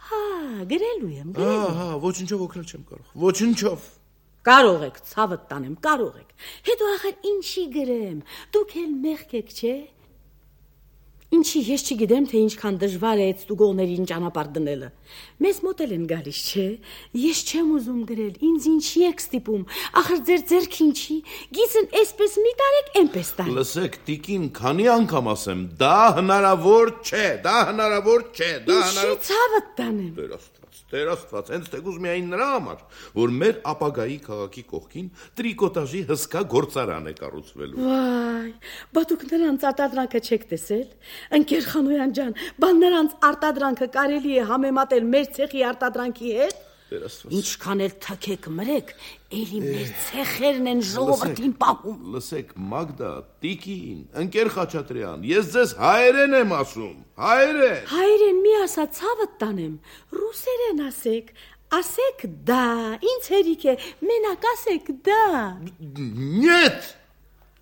Հա, գրելու եմ, գրելու։ Ահա, ոչինչով օգնել չեմ կարող։ Ոչինչով։ Կարող եք, ցավը տանեմ, կարող եք։ Հետո ախր ինչի գրեմ։ Դուք էլ մեղք եք, չէ՞։ Ինչի ես չգիտեմ, թե ինչքան դժվար է այդ ստուգողներին ճանապարհ դնելը։ Մեզ մոտ էլ են գալիս, չէ՞։ Ես չեմ ուզում գրել, ինձ ինչի եք ստիպում։ Ախր ձեր ձեռքին չի։ Գիծն այսպես մի տարեք, այնպես տար։ Լսեք, տիկին, քանի անգամ ասեմ, դա հնարավոր չէ, դա հնարավոր չէ, դա հնարավոր։ Ինչի ցավը տանեմ։ Տեր Աստված, Տեր Աստված, հենց թեկուզ միայն նրա համար, որ մեր ապագայի քաղաքի կողքին տրիկոտաժի հսկա գործարան է կառուցվելու։ Վայ, բա դուք նրանց արտադրանքը չեք տեսել։ Ընկեր Խանոյան ջան, բա նրանց արտադրանքը կարելի է համեմատել մեր ցեխի արտադրանքի հետ։ Ինչքան էլ թքեք մրեք, էլի մեր ցեխերն են ժողովրդին պահում։ Լսեք, Մագդա, տիկին, ընկեր Խաչատրյան, ես ձեզ հայերեն եմ ասում, հայերեն։ Հայերեն մի ասա, ցավը տանեմ, ռուսերեն ասեք, ասեք դա, ինձ հերիք է, մենակ ասեք դա։ Նյետ,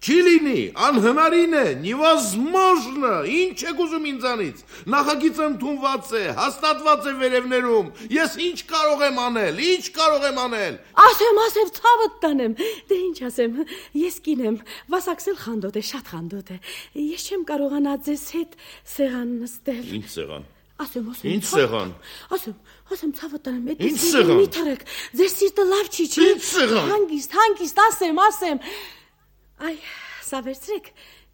չի լինի, անհնարին է, невозможно, ինչ եք ուզում ինձանից, նախագիծը ընդունված է, հաստատված է վերևներում, ես ինչ կարող եմ անել, ինչ կարող եմ անել։ Ասեմ, ասեմ, ցավդ տանեմ, դե ինչ ասեմ, ես կին եմ, վասակսել խանդոտ է, շատ խանդոտ է, ես չեմ կարողանա ձեզ հետ սեղան նստել։ Ինչ սեղան։ Ասեմ, ասեմ։ Ինչ սեղան։ Ասեմ, ասեմ, ցավդ տանեմ, Ինչ սեղան։ մի թռեք, ձեր սիրտը լավ չի, չի։ Ինչ սեղան։ Հանգիստ, հանգիստ, ասեմ, ասեմ։ Այ, սա վերցրեք,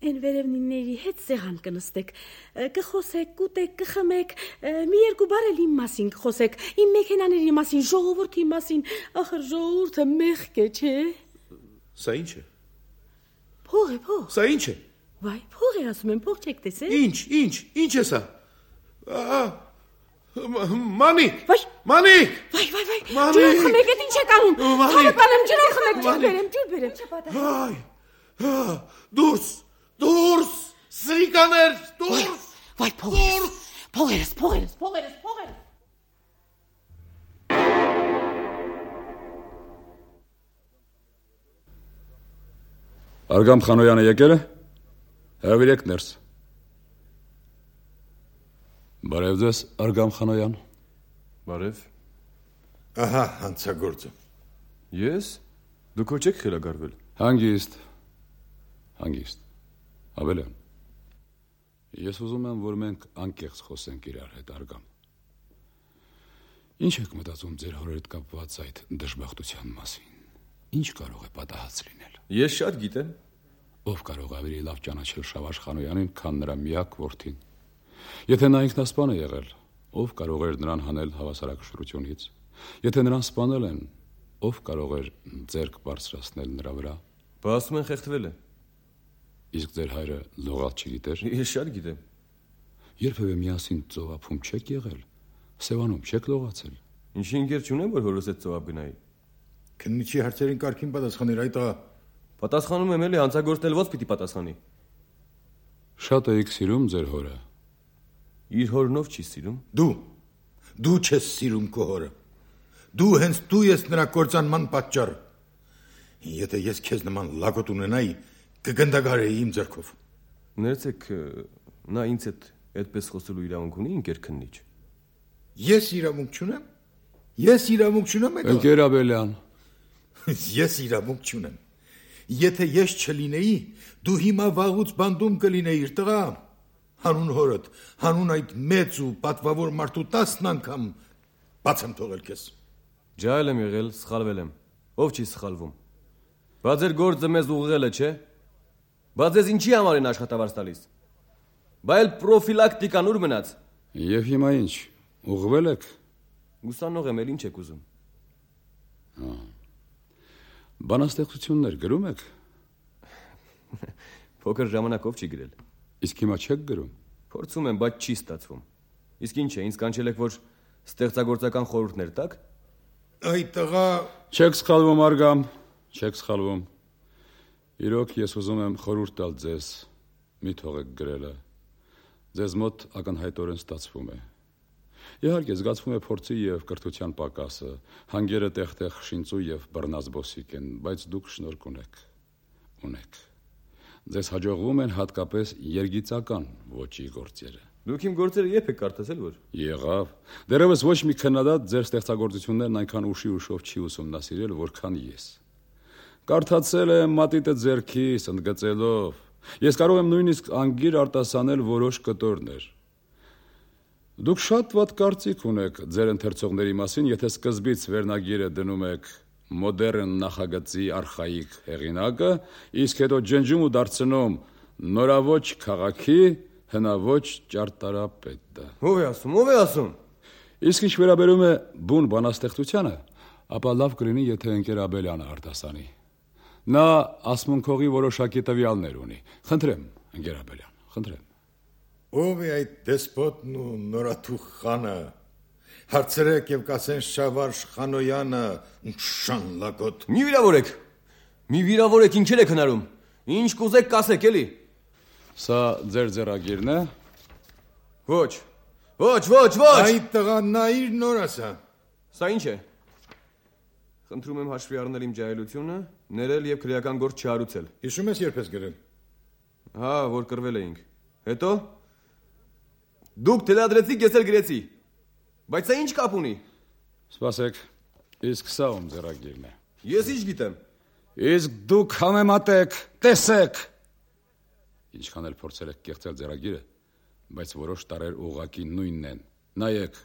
են վերևնիների հետ սեղան կնստեք, կխոսեք, կուտեք, կխմեք, մի երկու բառ էլ իմ մասին կխոսեք, իմ մեքենաների մասին, ժողովրդի մասին, ախր ժողովուրդը մեղք է, չէ։ Սա ինչ է։ Փող է, փող։ Սա ինչ է։ Վայ, փող է ասում եմ, փող չեք տեսել։ Ինչ, ինչ, ինչ է սա։ Մանիկ։ Վայ, Մանիկ։ վայ, վայ, վայ։ Մանիկ։ Ջուր խմեք, այդ ինչ եք անում։ Մանիկ։ Հավատանեմ, ջուր խմեք, ջուր բերեմ, ջուր բերեմ։ Այ։ Դուրս, դուրս, սրիկաներ, դուրս։ Վայ, փողերս, փողերս, փողերս, փողերս, փողերս։ Արգամ Խանոյանը եկել է։ Հրավիրեք ներս։ Բարև ձեզ, Արգամ Խանոյան։ Բարև։ Ահա հանցագործը։ Ես։ Դուք ոչ եք խելագարվել։ Հանգիստ։ Հանգիստ։ Ավելյան։ Ես ուզում եմ, որ մենք անկեղծ խոսենք իրար հետ, Արգամ։ Ինչ եք մտածում ձեր հոր հետ կապված այդ դժբախտության մասին։ Ինչ կարող է պատահած լինել։ Ես շատ գիտեմ։ Ով կարող է ավելի լավ ճանաչել Շավարժ Խանոյանին, քան նրա միակ որդին։ Եթե նա ինքնասպան է եղել, ով կարող էր նրան հանել հավասարակշռությունից։ Եթե նրան սպանել են, ով կարող էր ձեռք բարձրացնել նրա վրա։ Բա ասում են խեղդվել է։ Իսկ ձեր հայրը լողալ չգիտեր։ Ես շատ գիտեմ։ Երբևէ միասին ծովափում չեք եղել, Սևանում չեք լողացել։ Ինչի ընկեր չունեմ, որ հորս հետ ծովափ գնայի։ Քննիչի հարցերին կարգին պատասխաներ այդ ա։ Պատասխանում եմ էլի, հանցագործն էլ ո՞ց պիտի պատասխանի։ Շատ էիք սիրում ձեր հորը։ Իր հորնով չի սիրում։ Դու, դու չես սիրում քո հորը։ Դու հենց դու ես նրա կործանման պատճառը։ Եթե ես քեզ նման լագոտ ունենայի, կգնդագարեի իմ ձեռքով։ Ներեցեք, նա ինձ հետ այդպես խոսելու իրավունք ունի, ընկեր քննիչ։ Ես իրավունք չունեմ։ Ես իրավունք չունեմ այդ։ Ընկեր Աբելյան։ Ես իրավունք չունեմ։ Եթե ես չլինեի, դու հիմա վաղուց բանդում կլինեիր, տղա։ Հանուն հորդ, հանուն այդ մեծ ու պատվավոր մարդու տասն անգամ բաց եմ թողել քեզ։ Ջահել եմ եղել, սխալվել եմ։ Ով չի սխալվում։ Բա ձեր գործը մեզ ուղղել է, չէ՞։ Բա ձեզ ինչի համար են աշխատավարձ տալիս։ Բա էլ պրոֆիլակտիկան ուր մնաց։ Եվ հիմա ինչ, ուղղվել եք։ Ուսանող եմ, էլ ինչ եք ուզում։ Բանաստեղծություններ գրում եք։ Փոքր ժամանակով չի գրել։ Իսկ հիմա չեք գրում։ Փորձում եմ, բայց չի ստացվում։ Իսկ ինչ է, ինձ կանչել եք, որ ստեղծագործական խորհուրդներ տաք։ Այ տղա, Չեք սխալվում, Արգամ, չեք սխալվում։ Իրոք ես ուզում եմ խորհուրդ տալ ձեզ, մի թողեք գրելը։ Ձեզ մոտ ակնհայտորեն ստացվում է։ Իհարկե զգացվում է փորձի եւ կրթության պակասը, հանգերը տեղ-տեղ շինծու եւ բռնազբոսիկ են, բայց դուք շնորհք ունեք։ Ունեք։ Ձեզ հաջողվում են հատկապես երգիծական ոճի գործերը։ Դուք իմ գործերը երբ եք կարդացել, որ։ Եղավ։ Դեռևս ոչ մի քննադատ ձեր ստեղծագործություններն այնքան ուշի ուշով չի ուսումնասիրել, որքան ես։ Կարդացել եմ մատիտը ձեռքիս, ընդգծելով։ Ես կարող եմ նույնիսկ անգիր արտասանել որոշ կտորներ։ Դուք շատ վատ կարծիք ունեք ձեր ընթերցողների մասին, եթե սկզբից վերնագիրը դնում եք մոդեռն նախագծի արխայիկ հեղինակը, իսկ հետո ջնջում ու դարձնում նորաոճ քաղաքի հնաոճ ճարտարապետը։ Ո՞վ է ասում, ո՞վ է ասում։ Իսկ ինչ վերաբերում է բուն բանաստեղծությանը, ապա լավ կլինի, եթե ընկեր Աբելյանը արտասանի։ Նա ասմունքողի որոշակի տվյալներ ունի։ Խնդրեմ, ընկեր Աբելյան, խնդրեմ։ ով է այդ դեսպոտն ու նորաթուխ խանը։ Հարցրեք եւ կասեն Շավարժ Խանոյանը, շան լագոտ։ Մի վիրավորեք։ Մի վիրավորեք, ինչեր եք հնարում։ Ինչ կուզեք կասեք, էլի։ Սա ձեր ձեռագիրն է։ Ոչ։ Ոչ, ոչ, ոչ։ Այդ տղա նայիր նոր ասա։ Սա ինչ է։ Խնդրում եմ հաշվի առնել իմ ջահելությունը, ներել եւ քրեական գործ չհարուցել։ Հիշում ես երբ ես գրել։ Հա, որ կռվել էինք։ Հետո դուք թելադրեցիք, ես էլ գրեցի։ Բայց սա ինչ կապ ունի։ Սպասեք, իսկ սա ում ձեռագիրն է։ Ես ինչ գիտեմ։ Իսկ դուք համեմատեք, տեսեք։ Ինչքան էլ փորձել եք կեղծել ձեռագիրը, բայց որոշ տարեր ուղղակի նույնն են։ Նայեք,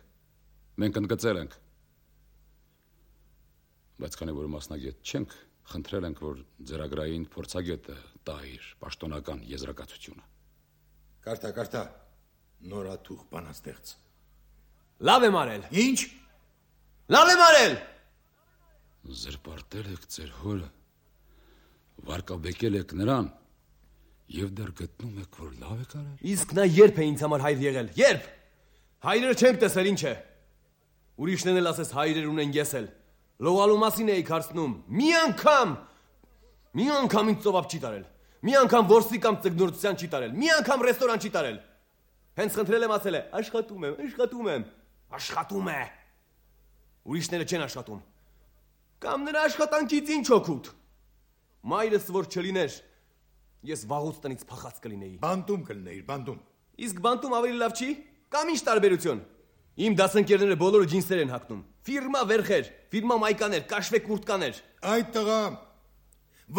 մենք ընդգծել ենք։ Բայց քանի որ մասնագետ չենք, խնդրել ենք, որ ձեռագրային փորձագետը տա իր պաշտոնական եզրակացությունը։ Կարդա, կարդա։ Նորաթուխ բանաստեղծ։ Լավ եմ արել։ Ինչ։ Լավ եմ արել։ Զրպարտել եք ձեր հորը, վարկաբեկել եք նրան, եւ դեռ գտնում եք, որ լավ եք արել։ Իսկ նա երբ է ինձ համար հայր եղել։ Երբ։ Հայրերը չենք տեսել, ինչ է։ Ուրիշներն էլ ասես հայրեր ունեն, ես էլ։ Լողալու մասին էի հարցնում։ Մի անգամ, մի անգամ ինձ ծովափ չի տարել։ Մի անգամ որսի կամ ծգնորցության չի տարել։ Մի անգամ ռեստորան չի տարել։ Հենց խնդրել եմ ասել է, աշխատում եմ, աշխատում եմ։ Աշխատում է։ Ուրիշները չեն աշխատում։ Կամ նրա աշխատանքից ինչ օգուտ։ Մայրս որ չլիներ, ես վաղուց տնից փախած կլինեի։ Բանտում կլիներ, բանտում։ Իսկ բանտում ավելի լավ չի։ Կամ ինչ տարբերություն։ Իմ դասընկերները բոլորը ջինսեր են հագնում։ Ֆիրմա վերխեր, ֆիրմա մայկաներ, կաշվե կուրտկաներ։ Այդ տղա,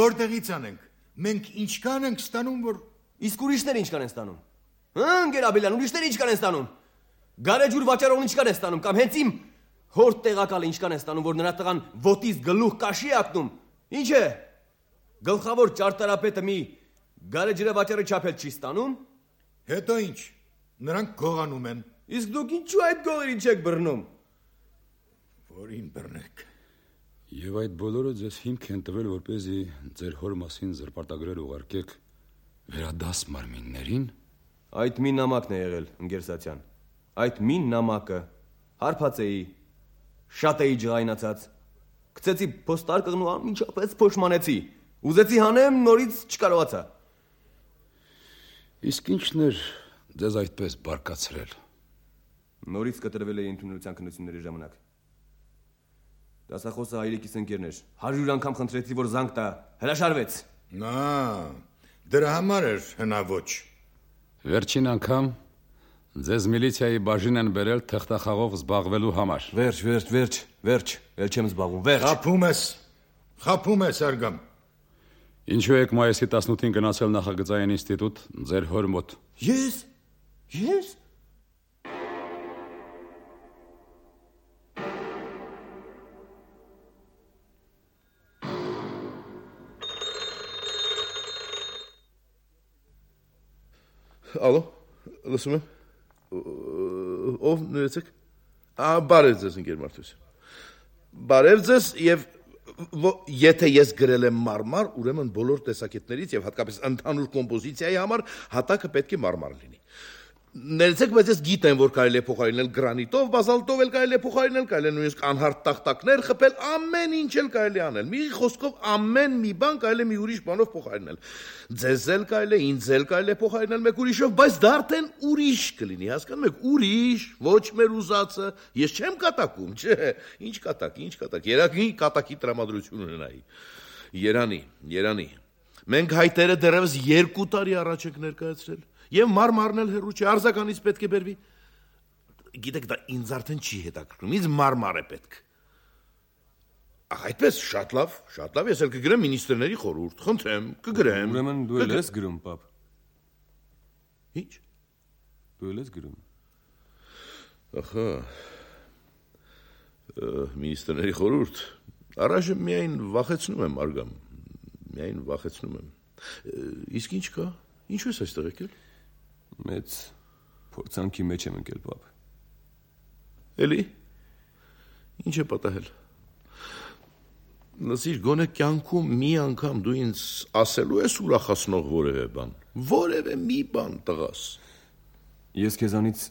որտեղից անենք։ Մենք ինչքան ենք ստանում, որ իսկ ուրիշները ինչքան են ստանում։ Հա, Գերաբելյան, ուրիշները ինչքան են ստանում։ Գարեջուր վաճառողն ինչքան է ստանում, կամ հենց իմ հոր տեղակալը ինչքան է ստանում, որ նրա տղան ոտից գլուխ կաշի է ակնում։ Ինչ է։ Գլխավոր ճարտարապետը մի գարեջրը վաճառի չափել չի ստանում։ Հետո ինչ։ Նրանք գողանում են։ Իսկ դուք ինչու այդ գողերին չեք բռնում։ Որին բռնեք։ Եվ այդ բոլորը ձեզ հիմք են տվել, որպեսզի ձեր հոր մասին զրպարտագրեր ուղարկեք վերադաս մարմիններին։ Այդ մի նամակն է եղել, ընկերսացյան։ Այդ մի նամակը հարբած էի, շատ էի ջղայնացած։ Գցեցի փոստարկղն ու անմիջապես փոշմանեցի։ Ուզեցի հանեմ, նորից չկարողացա։ Իսկ ինչն էր ձեզ այդպես բարկացրել։ Նորից կտրվել էի ընդունելության քննությունների ժամանակ։ Դասախոսը հայրիկիս ընկերն էր։ հարյուր անգամ խնդրեցի, որ զանգ տա, հրաշարվեց։ Նա, դրա համար էր հնաոճ։ Վերջին անգամ ձեզ միլիցիայի բաժին են բերել թղթախաղով զբաղվելու համար։ Վերջ, վերջ, վերջ, վերջ, ել չեմ զբաղվում, վերջ։ Խափում ես, խափում ես, Արգամ։ Ինչու եք մայիսի տասնութին գնացել նախագծային ինստիտուտ ձեր հոր մոտ։ Ես, ես։ Ալո, լսում եմ։ Ով ներեցեք։ Ա, բարև ձեզ, ընկեր Մարտիրոսյան։ Բարև ձեզ եւ եթե ես գրել եմ մարմար, ուրեմն բոլոր տեսակետներից եւ հատկապես ընդհանուր կոմպոզիցիայի համար հատակը պետք է մարմար լինի։ Ներեցեք, բայց ես գիտեմ, որ կարելի է փոխարինել գրանիտով, բազալտով էլ կարելի է փոխարինել, կարելի է նույնիսկ անհարթ տախտակներ խփել, ամեն ինչ էլ կարելի է անել։ Մի խոսքով ամեն մի բան կարելի է մի ուրիշ բանով փոխարինել։ Ձեզ էլ կարելի է, ինձ էլ կարելի է փոխարինել մեկ ուրիշով, բայց դա արդեն ուրիշ կլինի, հասկանում եք, ուրիշ, ոչ մեր ուզածը։ Ես չեմ կատակում, չէ, ինչ կատակ, ինչ կատակ։ Երակի կատակի տրամադրություն ունենայի։ Երանի, Երանի։ Մենք հայտերը դեռևս երկու տարի առաջ ենք ներկայացրել։ Եվ մարմարն էլ հեռու չէ, արձականից պետք է բերվի։ Գիտեք, դա ինձ արդեն չի հետաքրքրում, ինձ մարմար է պետք։ Ահա այդպես, շատ լավ, շատ լավ, ես էլ կգրեմ մինիստրների խորհուրդ, խնդրեմ, կգրեմ։ Ուրեմն դու էլ ես գրում, պապ։ Ինչ։ Դու էլ ես գրում։ Ահա։ Մինիստրների խորհուրդ, առայժմ միայն վախեցնում եմ, Արգամ, միայն վախեցնում եմ։ Իսկ ինչ կա։ Ինչու ես այստեղ եկել։ Մեծ փորձանքի մեջ եմ ընկել, պապ։ Էլի։ Ինչ է պատահել։ Լսիր, գոնե կյանքում մի անգամ դու ինձ ասելու ես ուրախացնող որևէ բան։ Որևէ մի բան տղաս։ Ես քեզանից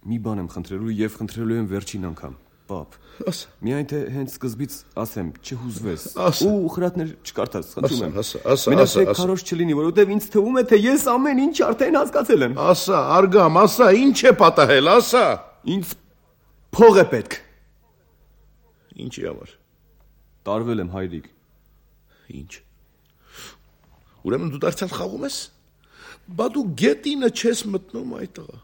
մի բան եմ խնդրելու եւ խնդրելու եմ վերջին անգամ, պապ։ Ասա։ Միայն թե հենց սկզբից ասեմ, չհուզվես։ Ասա։ Ու խրատներ չկարդաս, խնդրում եմ։ Ասա, ասա, Մենակ ասա, թե քարոշ չլինի, որովհետեւ ինձ թվում է, թե ես ամեն ինչ արդեն հասկացել եմ։ Ասա, Արգամ, ասա, ինչ է պատահել, ասա։ Ինձ փող է պետք։ Ինչի համար։ Տարվել եմ, հայրիկ։ Ինչ։ Ուրեմն դու դարձյալ խաղում ես։ Բա դու գետինը չես մտնում այդ տղա։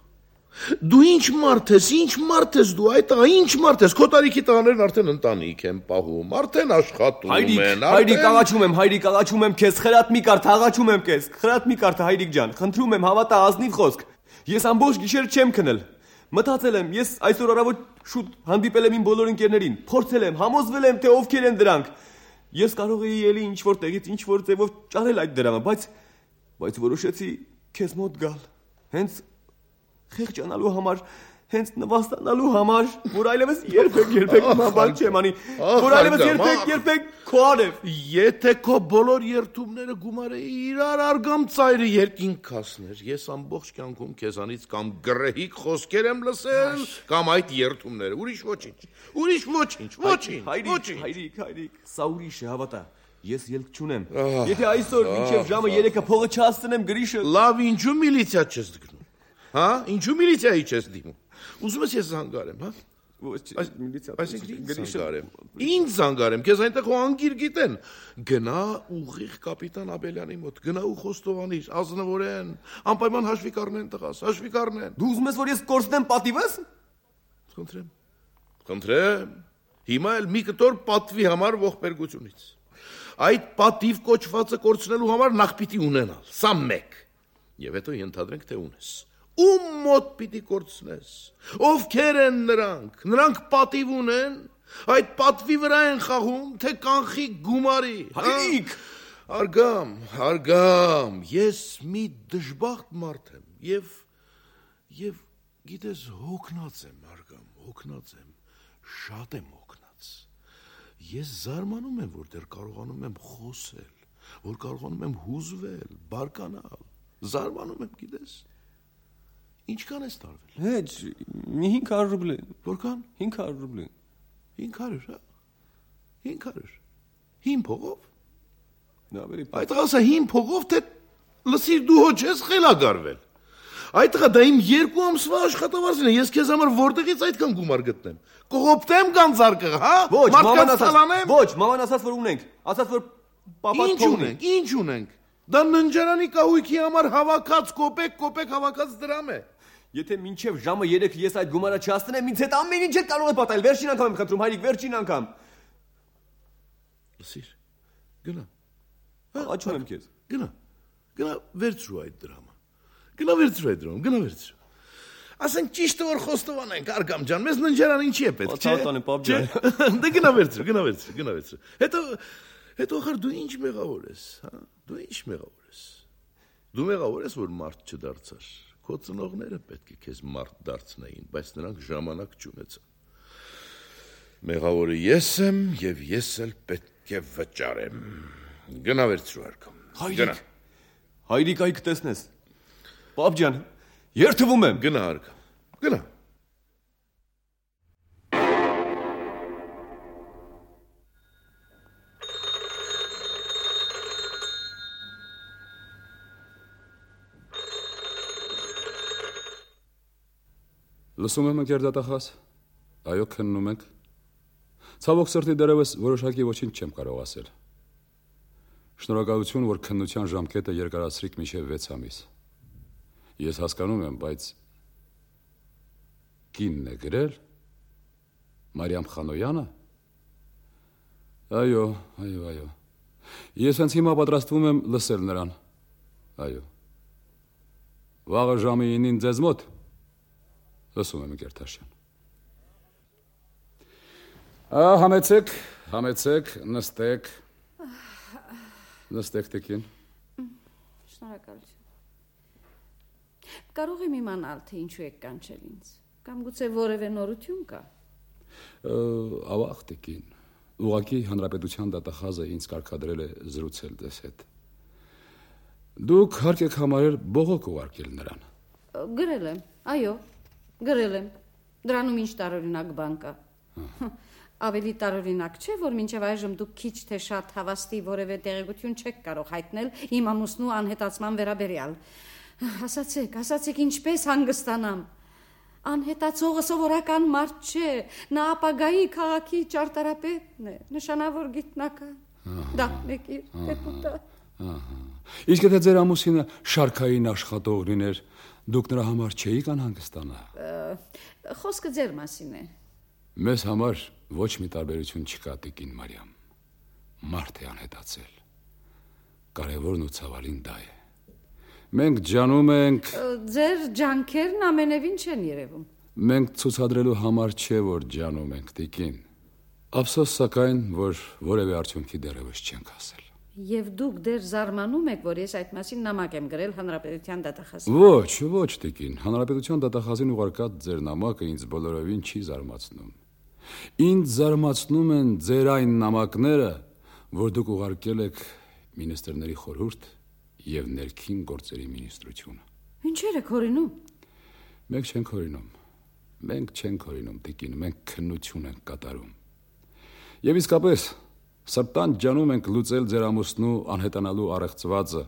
Դու ինչ մարդ ես, ինչ մարդ ես դու այդ տղա, ինչ մարդ ես, քո տարիքի տղաներն արդեն ընտանիք են պահում, արդեն աշխատում են, արդեն։ Հայրիկ, աղաչում եմ, հայրիկ, աղաչում եմ քեզ, խրատ մի կարդ, աղաչում եմ քեզ, խրատ մի կարդ, հայրիկ ջան, խնդրում եմ, հավատա ազնիվ խոսք։ Ես ամբողջ գիշեր չեմ քնել։ Մտածել եմ, ես այսօր առավոտ շուտ հանդիպել եմ իմ բոլոր ընկերներին, փորձել եմ, համոզվել եմ, թե ովքեր են դրանք։ Ես կարող էի էլի ինչ որ տեղից ինչ որ ձևով ճարել այդ դրամը, բայց բայց որոշեցի քեզ մոտ գալ։ Հենց խեղճանալու համար, Հենց նվաստանալու համար, որ այլևս երբեք երբեք մաբան չեմ անի, որ այլևս երբեք երբեք քո արև։ Եթե քո բոլոր երթումները գումարը իրար արգամ ծայրը երկինք կասներ, ես ամբողջ կյանքում քեզանից կամ գրեհիկ խոսքեր եմ լսել, կամ այդ երթումները, ուրիշ ոչինչ, ուրիշ ոչինչ, ոչինչ, ոչինչ։ Հայրիկ, հայրիկ, սա ուրիշ է, հավատա։ Ես ելք չունեմ։ Եթե այսօր մինչև ժամը երեքը փողը չհասցնեմ գրիշը։ Լավ, ինչու միլիցիա չես դգնում։ Հա, ինչու միլիցիայի չես դիմում։ Ուզում ես ես զանգարեմ, հա։ Ոչ, միլիցիա։ Այսինքն զանգարեմ։ Ինչ զանգարեմ, քեզ այնտեղ ու անգիր գիտեն։ Գնա ուղիղ կապիտան Աբելյանի մոտ, գնա ու խոստովանիր, ազնվորեն, անպայման հաշվի կառնեն տղաս, հաշվի կառնեն։ Դու ուզում ես որ ես կորցնեմ պատիվս։ Խնդրեմ։ Խնդրեմ։ Հիմա էլ մի կտոր պատվի համար ողբերգությունից։ Այդ պատիվ կոչվածը կորցնելու համար նախ պիտի ունենալ, սա մեկ։ Եվ հետո ենթադրենք, թե ունես։ Ում մոտ պիտի կորցնես։ Ովքեր են նրանք։ Նրանք պատիվ ունեն, այդ պատվի վրա են խաղում, թե կանխի գումարի։ Հայրիկ, Արգամ, արգամ, ես մի դժբախտ մարդ եմ եւ եւ գիտես հոգնած եմ, արգամ, հոգնած եմ, շատ եմ հոգնած։ Ես զարմանում եմ, որ դեռ կարողանում եմ խոսել, որ կարողանում եմ հուզվել, բարկանալ։ Զարմանում եմ, գիտես։ Ինչքան ես տարվել։ Հեչ, մի հինգ հարյուր ռուբլի։ Որքան։ հինգ հարյուր ռուբլի։ հինգ հարյուր, հա։ հինգ հարյուր։ Հին փողով։ Ավելի Այդ ասա հին փողով, թե լսիր դու հո չես խելագարվել։ Այդ տղա դա իմ երկու ամսվա աշխատավարձն է, ես քեզ համար որտեղից այդքան գումար գտնեմ։ Կողոպտեմ գանձարկը, հա։ Ոչ, մարդկանց մաման ասաց, ցալանեմ։ ոչ, մաման ասաց որ ունենք, ասաց որ պապա Ինչ ունենք, ինչ ունենք։ Դա ննջարանի կահույքի համար հավաքած կոպեկ, կոպեկ հավաքած դրամ է։ Եթե մինչև ժամը երեքը ես այդ գումարը չհասցնեմ, ինձ հետ ամեն ինչ կարող է պատահել։ Վերջին անգամ եմ խնդրում, հայրիկ, վերջին անգամ։ Լսիր, գնա։ Աղաչում եմ քեզ։ Գնա։ Գնա վերցրու այդ դրամը։ Գնա վերցրու այդ դրամը, գնա վերցրու։ Ասենք ճիշտը որ խոստովանենք, արգամ ջան, մեզ ննջարան ինչի է պետք, չէ՞։ Ոտանե պապ ջան։ Դե գնա վերցրու, գնա վերցրու, գնա վերցրու։ Հետո հետո խր դու ինչ մեղավոր ես, հա։ Դու ինչ մեղավոր ես։ Դու մեղավոր ես, որ մարդ չդարձար։ Քո ծնողները պետք է քեզ մարդ դարձնեին, բայց նրանք ժամանակ չունեցան։ Մեղավորը ես եմ եւ ես էլ պետք է վճարեմ։ Գնա վերցրու արգամ։ Հայրիկ։ Հայրիկ այ կտեսնես։ Պապ ջան, երթվում եմ։ Գնա արգամ։ Գնա։ Լսում եմ ընկեր դատախազ։ Այո, քննում ենք։ Ցավոք սրտի դեռևս որոշակի ոչինչ չեմ կարող ասել։ Շնորհակալություն, որ քննության ժամկետը երկարացրիք մինչև վեց ամիս։ Ես հասկանում եմ, բայց կինն է գրել Մարիամ Խանոյանը։ Այո, այո, այո։ Ես հենց հիմա պատրաստվում եմ լսել նրան։ Այո։ Վաղը ժամը ինին ձեզ մոտ։ Լսում եմ Գերտաշյան։ Ահա համեցեք, համեցեք, նստեք։ Նստեք տեկին։ Շնորհակալություն։ Կարող եմ իմանալ, թե ինչու եք կանչել ինձ, կամ գուցե որևէ նորություն կա։ Ավաղ տեկին։ Ուղղակի հանրապետության դատախազը ինձ կարգադրել է զրուցել ձեզ հետ։ Դուք հարկ եք համարել բողոք ուղարկել նրան։ Գրել եմ, այո, գրել եմ։ Դրանում ինչ տարօրինակ բան կա։ Ավելի տարօրինակ չէ, որ մինչև այժմ դուք քիչ թե շատ հավաստի որևէ տեղեկություն չեք կարող հայտնել իմ ամուսնու անհետացման վերաբերյալ։ Ասացեք, ասացեք ինչպես հանգստանամ։ Անհետացողը սովորական մարդ չէ, նա ապագայի քաղաքի ճարտարապետն է, նշանավոր գիտնական։ Դափնեկիր, դեպուտա։ Իսկ եթե ձեր ամուսինը շարքային աշխատող լիներ, դուք նրա համար չէիք անհանգստանա։ Խոսքը ձեր մասին է։ Մեզ համար ոչ մի տարբերություն չկա, տիկին Մարիամ։ Մարդ է անհետացել։ Կարևորն ու ցավալին դա է։ Մենք ջանում ենք։ Ձեր ջանքերն ամենևին չեն երևում։ Մենք ցուցադրելու համար չէ, որ ջանում ենք, տիկին։ Ափսոս սակայն, որ որևէ արդյունքի դեռևս չենք հասել։ Եվ դուք դեռ զարմանում եք, որ ես այդ մասին նամակ եմ գրել Հանրապետության դատախազին։ Ոչ, ոչ, տիկին, Հանրապետության դատախազին ուղարկած ձեր նամակը ինձ բոլորովին չի զարմացնում։ Ինձ զարմացնում են ձեր այն նամակները, որ դուք ուղարկել եք մինիստրների խորհուրդ եւ ներքին գործերի մինիստրությունը։ Ինչեր եք հորինում։ Մենք չենք հորինում։ Մենք չենք հորինում, տիկին, մենք քննություն ենք կատարում։ Եվ իսկապես Սրտան ջանում ենք լուծել ձեր ամուսնու անհետանալու առեղծվածը,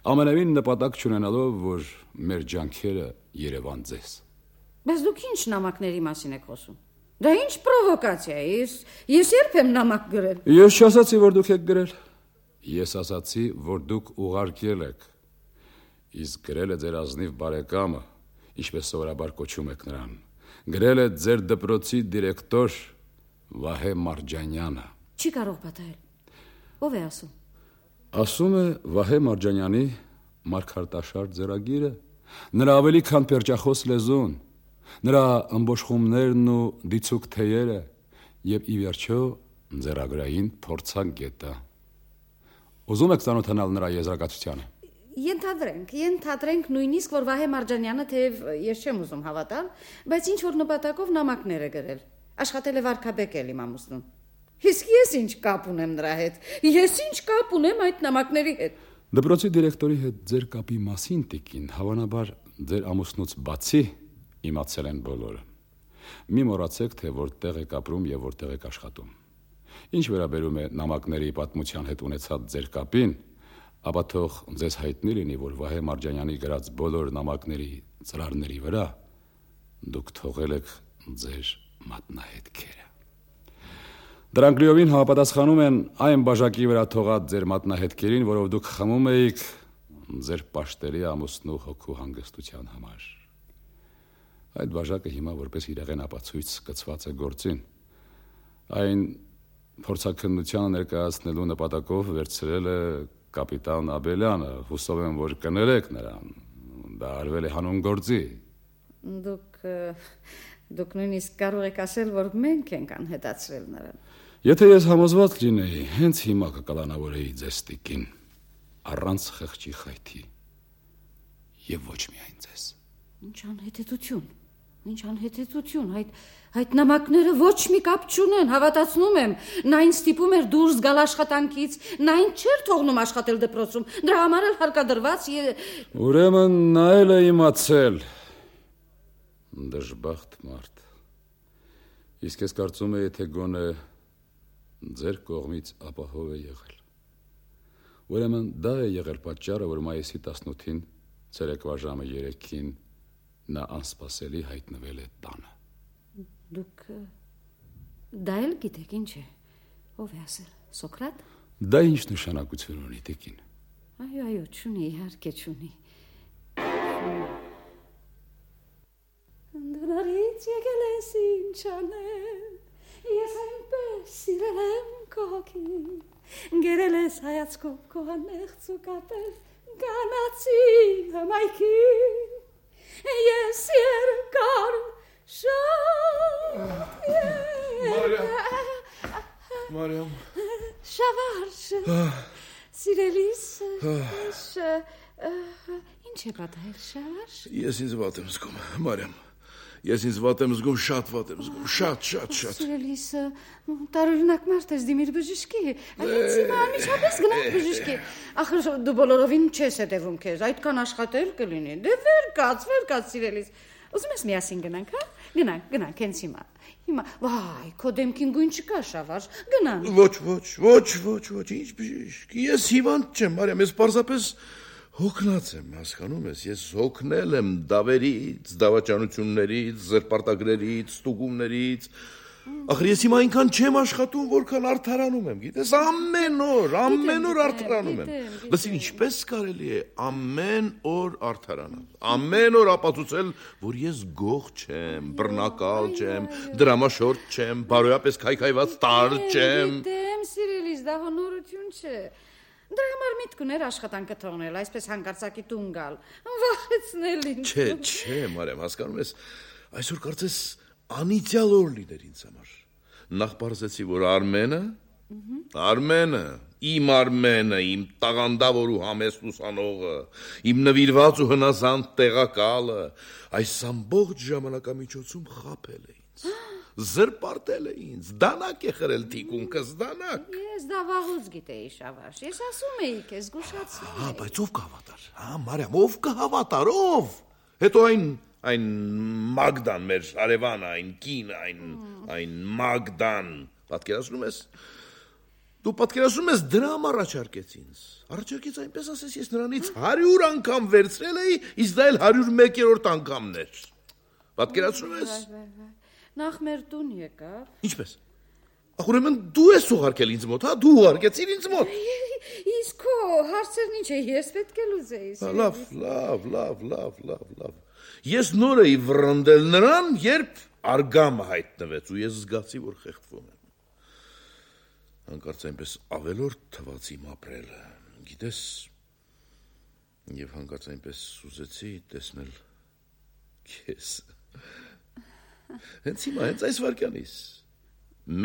ամենևին նպատակ չունենալով, որ մեր ջանքերը Երևան ձեզ։ Բայց դուք ինչ նամակների մասին եք խոսում։ Դա ինչ պրովոկացիա է։ Ես ես երբ եմ նամակ գրել։ Ես չասացի, որ դուք եք գրել։ Ես ասացի, որ դուք ուղարկել եք։ Իսկ գրել է ձեր ազնիվ բարեկամը, ինչպես սովորաբար կոչում եք նրան։ Գրել է ձեր դպրոցի դիրեկտոր Վահե Մարջանյանը։ Չի կարող պատահել։ Ո՞վ է ասում։ Ասում է Վահե Մարջանյանի մարգարտաշար ձեռագիրը, նրա ավելի քան պերճախոս լեզուն, նրա ըմբոշխումներն ու դիցուկ թեյերը եւ ի վերջո ձեռագրային փորձագետը։ Ուզում եք ծանոթանալ նրա եզրակացությանը։ Ենթադրենք, ենթադրենք նույնիսկ որ Վահե Մարջանյանը թեև ես չեմ ուզում հավատալ, բայց ինչ որ նպատակով նամակներ է գրել։ Աշխատել է վարքաբեկել իմ ամուսնուն։ Իսկ ես ինչ կապ ունեմ նրա հետ։ Ես ինչ կապ ունեմ այդ նամակների հետ։ Դպրոցի դիրեկտորի հետ ձեր կապի մասին, տիկին, հավանաբար ձեր ամուսնուց բացի իմացել են բոլորը։ Մի մոռացեք, թե որտեղ եք ապրում եւ որտեղ եք աշխատում։ Ինչ վերաբերում է նամակների պատմության հետ ունեցած ձեր կապին, ապա թող ձեզ հայտնի լինի, որ Վահե Մարջանյանի գրած բոլոր նամակների ծրարների վրա դուք թողել եք ձեր մատնահետքերը։ Դրանք լիովին համապատասխանում են այն բաժակի վրա թողած ձեր մատնահետքերին, որով դուք խմում էիք ձեր պաշտելի ամուսնու հոգու հանգստության համար։ Այդ բաժակը հիմա որպես իրեղեն ապացույց կցված է գործին։ Այն փորձաքննությանը ներկայացնելու նպատակով վերցրել է կապիտան Աբելյանը, հուսով եմ, որ կներեք նրան։ Դա արվել է հանուն գործի։ Դուք դուք նույնիսկ կարող եք ասել, որ մենք ենք անհետացրել նրան։ Եթե ես համոզված լինեի, հենց հիմա կկալանավորեի ձեզ տիկին, առանց խղճի խայթի, եւ ոչ միայն ձեզ։ Ինչ անհետեցություն, ինչ անհետեցություն, այդ այդ նամակները ոչ մի կապ չունեն, հավատացնում եմ, նա ինձ ստիպում էր դուրս գալ աշխատանքից, նա ինձ չէր թողնում աշխատել դպրոցում, դրա համար էլ հարկադրված է։ Ուրեմն նա էլ է իմացել։ Դժբախտ մարդ։ Իսկ ես կարծում եմ, թե գոնե ձեր կողմից ապահով է եղել։ Ուրեմն դա է եղել պատճառը, որ մայիսի տասնութին ցերեկվա ժամը երեքին նա անսպասելի հայտնվել է տանը։ Դուք դա էլ գիտեք ինչ է։ Ո՞վ է ասել։ Սոկրատ։ Դա ինչ նշանակություն ունի, տիկին։ Այո, այո, չունի, իհարկե չունի։ Դրանից եկել ես ինչ անեմ, ես այնպես սիրել եմ քո հոգին, գերել ես հայացքով քո անեղծ ու կապել գանացի հմայքին, ես երկար շատ Մարիամ Շավարժ սիրելիս ինչ է պատահել Շավարժ։ Ես ինձ վատ եմ զգում, Մարիամ։ Ես ինձ վատ եմ զգում, շատ վատ եմ զգում, շատ, շատ, շատ։ Սիրելիս, տարօրինակ մարդ ես, դիմիր բժշկի։ Այս հիմա անմիջապես գնանք բժշկի։ Ախր դու բոլորովին չես հետևում քեզ, այդքան աշխատել կլինի։ Դե վեր կաց, վեր կաց սիրելիս։ Ուզում ես միասին գնանք, հա? Գնանք, գնանք հենց հիմա։ Հիմա, վայ, քո դեմքին գույն չկա, Շավարժ։ Գնանք։ Ոչ, ոչ, ոչ, ոչ, ոչ, ինչ բժիշկ։ Ես հիվանդ չեմ, Մարիամ, ես պարզապես հոգնած եմ, հասկանում ես, ես հոգնել եմ դավերից, դավաճանություններից, զրպարտագրերից, ստուգումներից։ Ախր ես հիմա այնքան չեմ աշխատում, որքան արդարանում եմ, գիտես, ամեն օր, ամեն օր արդարանում եմ։ Լսին, ինչպես կարելի է ամեն օր արդարանալ, ամեն օր ապացուցել, որ ես գող չեմ, բռնակալ չեմ, դրամաշորտ չեմ, բարոյապես քայքայված տար չեմ։ Գիտեմ, սիրելիս, դա հոնորություն չէ։ Դրա համար միտք ուներ աշխատանքը թողնել, այսպես հանկարծակի տուն գալ, վախեցնել ինձ։ Չէ, չէ, Մարիամ, հասկանում ես, այսօր կարծես անիծյալ օր լիներ ինձ համար։ Նախ պարզեցի, որ Արմենը Արմենը, իմ Արմենը, իմ տաղանդավոր ու համեստ ուսանողը, իմ նվիրված ու հնազանդ տեղակալը, այս ամբողջ ժամանակամիջոցում խաբել է ինձ, զրպարտել է ինձ, դանակ է խրել թիկունքս, դանակ։ Ես դա վաղուց գիտեի, Շավարժ, ես ասում էի քեզ, զգուշացնում Հա, էի։ բայց ով կհավատար, հա, Մարիամ, ով կհավատար, ով։ Հետո այն այն Մագդան, մեր հարևանը, այն կինը, այն այն Մագդան, պատկերացնում ես։ Դու պատկերացնում ես դրամ առաջարկեց ինձ։ Առաջարկեց այնպես ասես ես նրանից հարյուր անգամ վերցրել էի, իսկ դա էլ հարյուր մեկերորդ անգամն էր։ Պատկերացնում ես։ Նախ մեր տուն եկավ։ Ինչպես։ Ուրեմն դու ես ուղարկել ինձ մոտ, հա, դու ուղարկեցիր ինձ մոտ։ Իսկ քո հարցերն ինչ է, ես պետք է լուծեի։ Լավ, լավ, լավ, լավ, լավ, լավ։ Ես նոր էի վռնդել նրան, երբ արգամը հայտնվեց ու ես զգացի, որ խեղդվում եմ։ Հանկարծ այնպես ավելորդ թվաց իմ ապրելը, գիտես, եւ հանկարծ այնպես ուզեցի տեսնել քեզ։ Հենց հիմա, հենց այս վարքյանից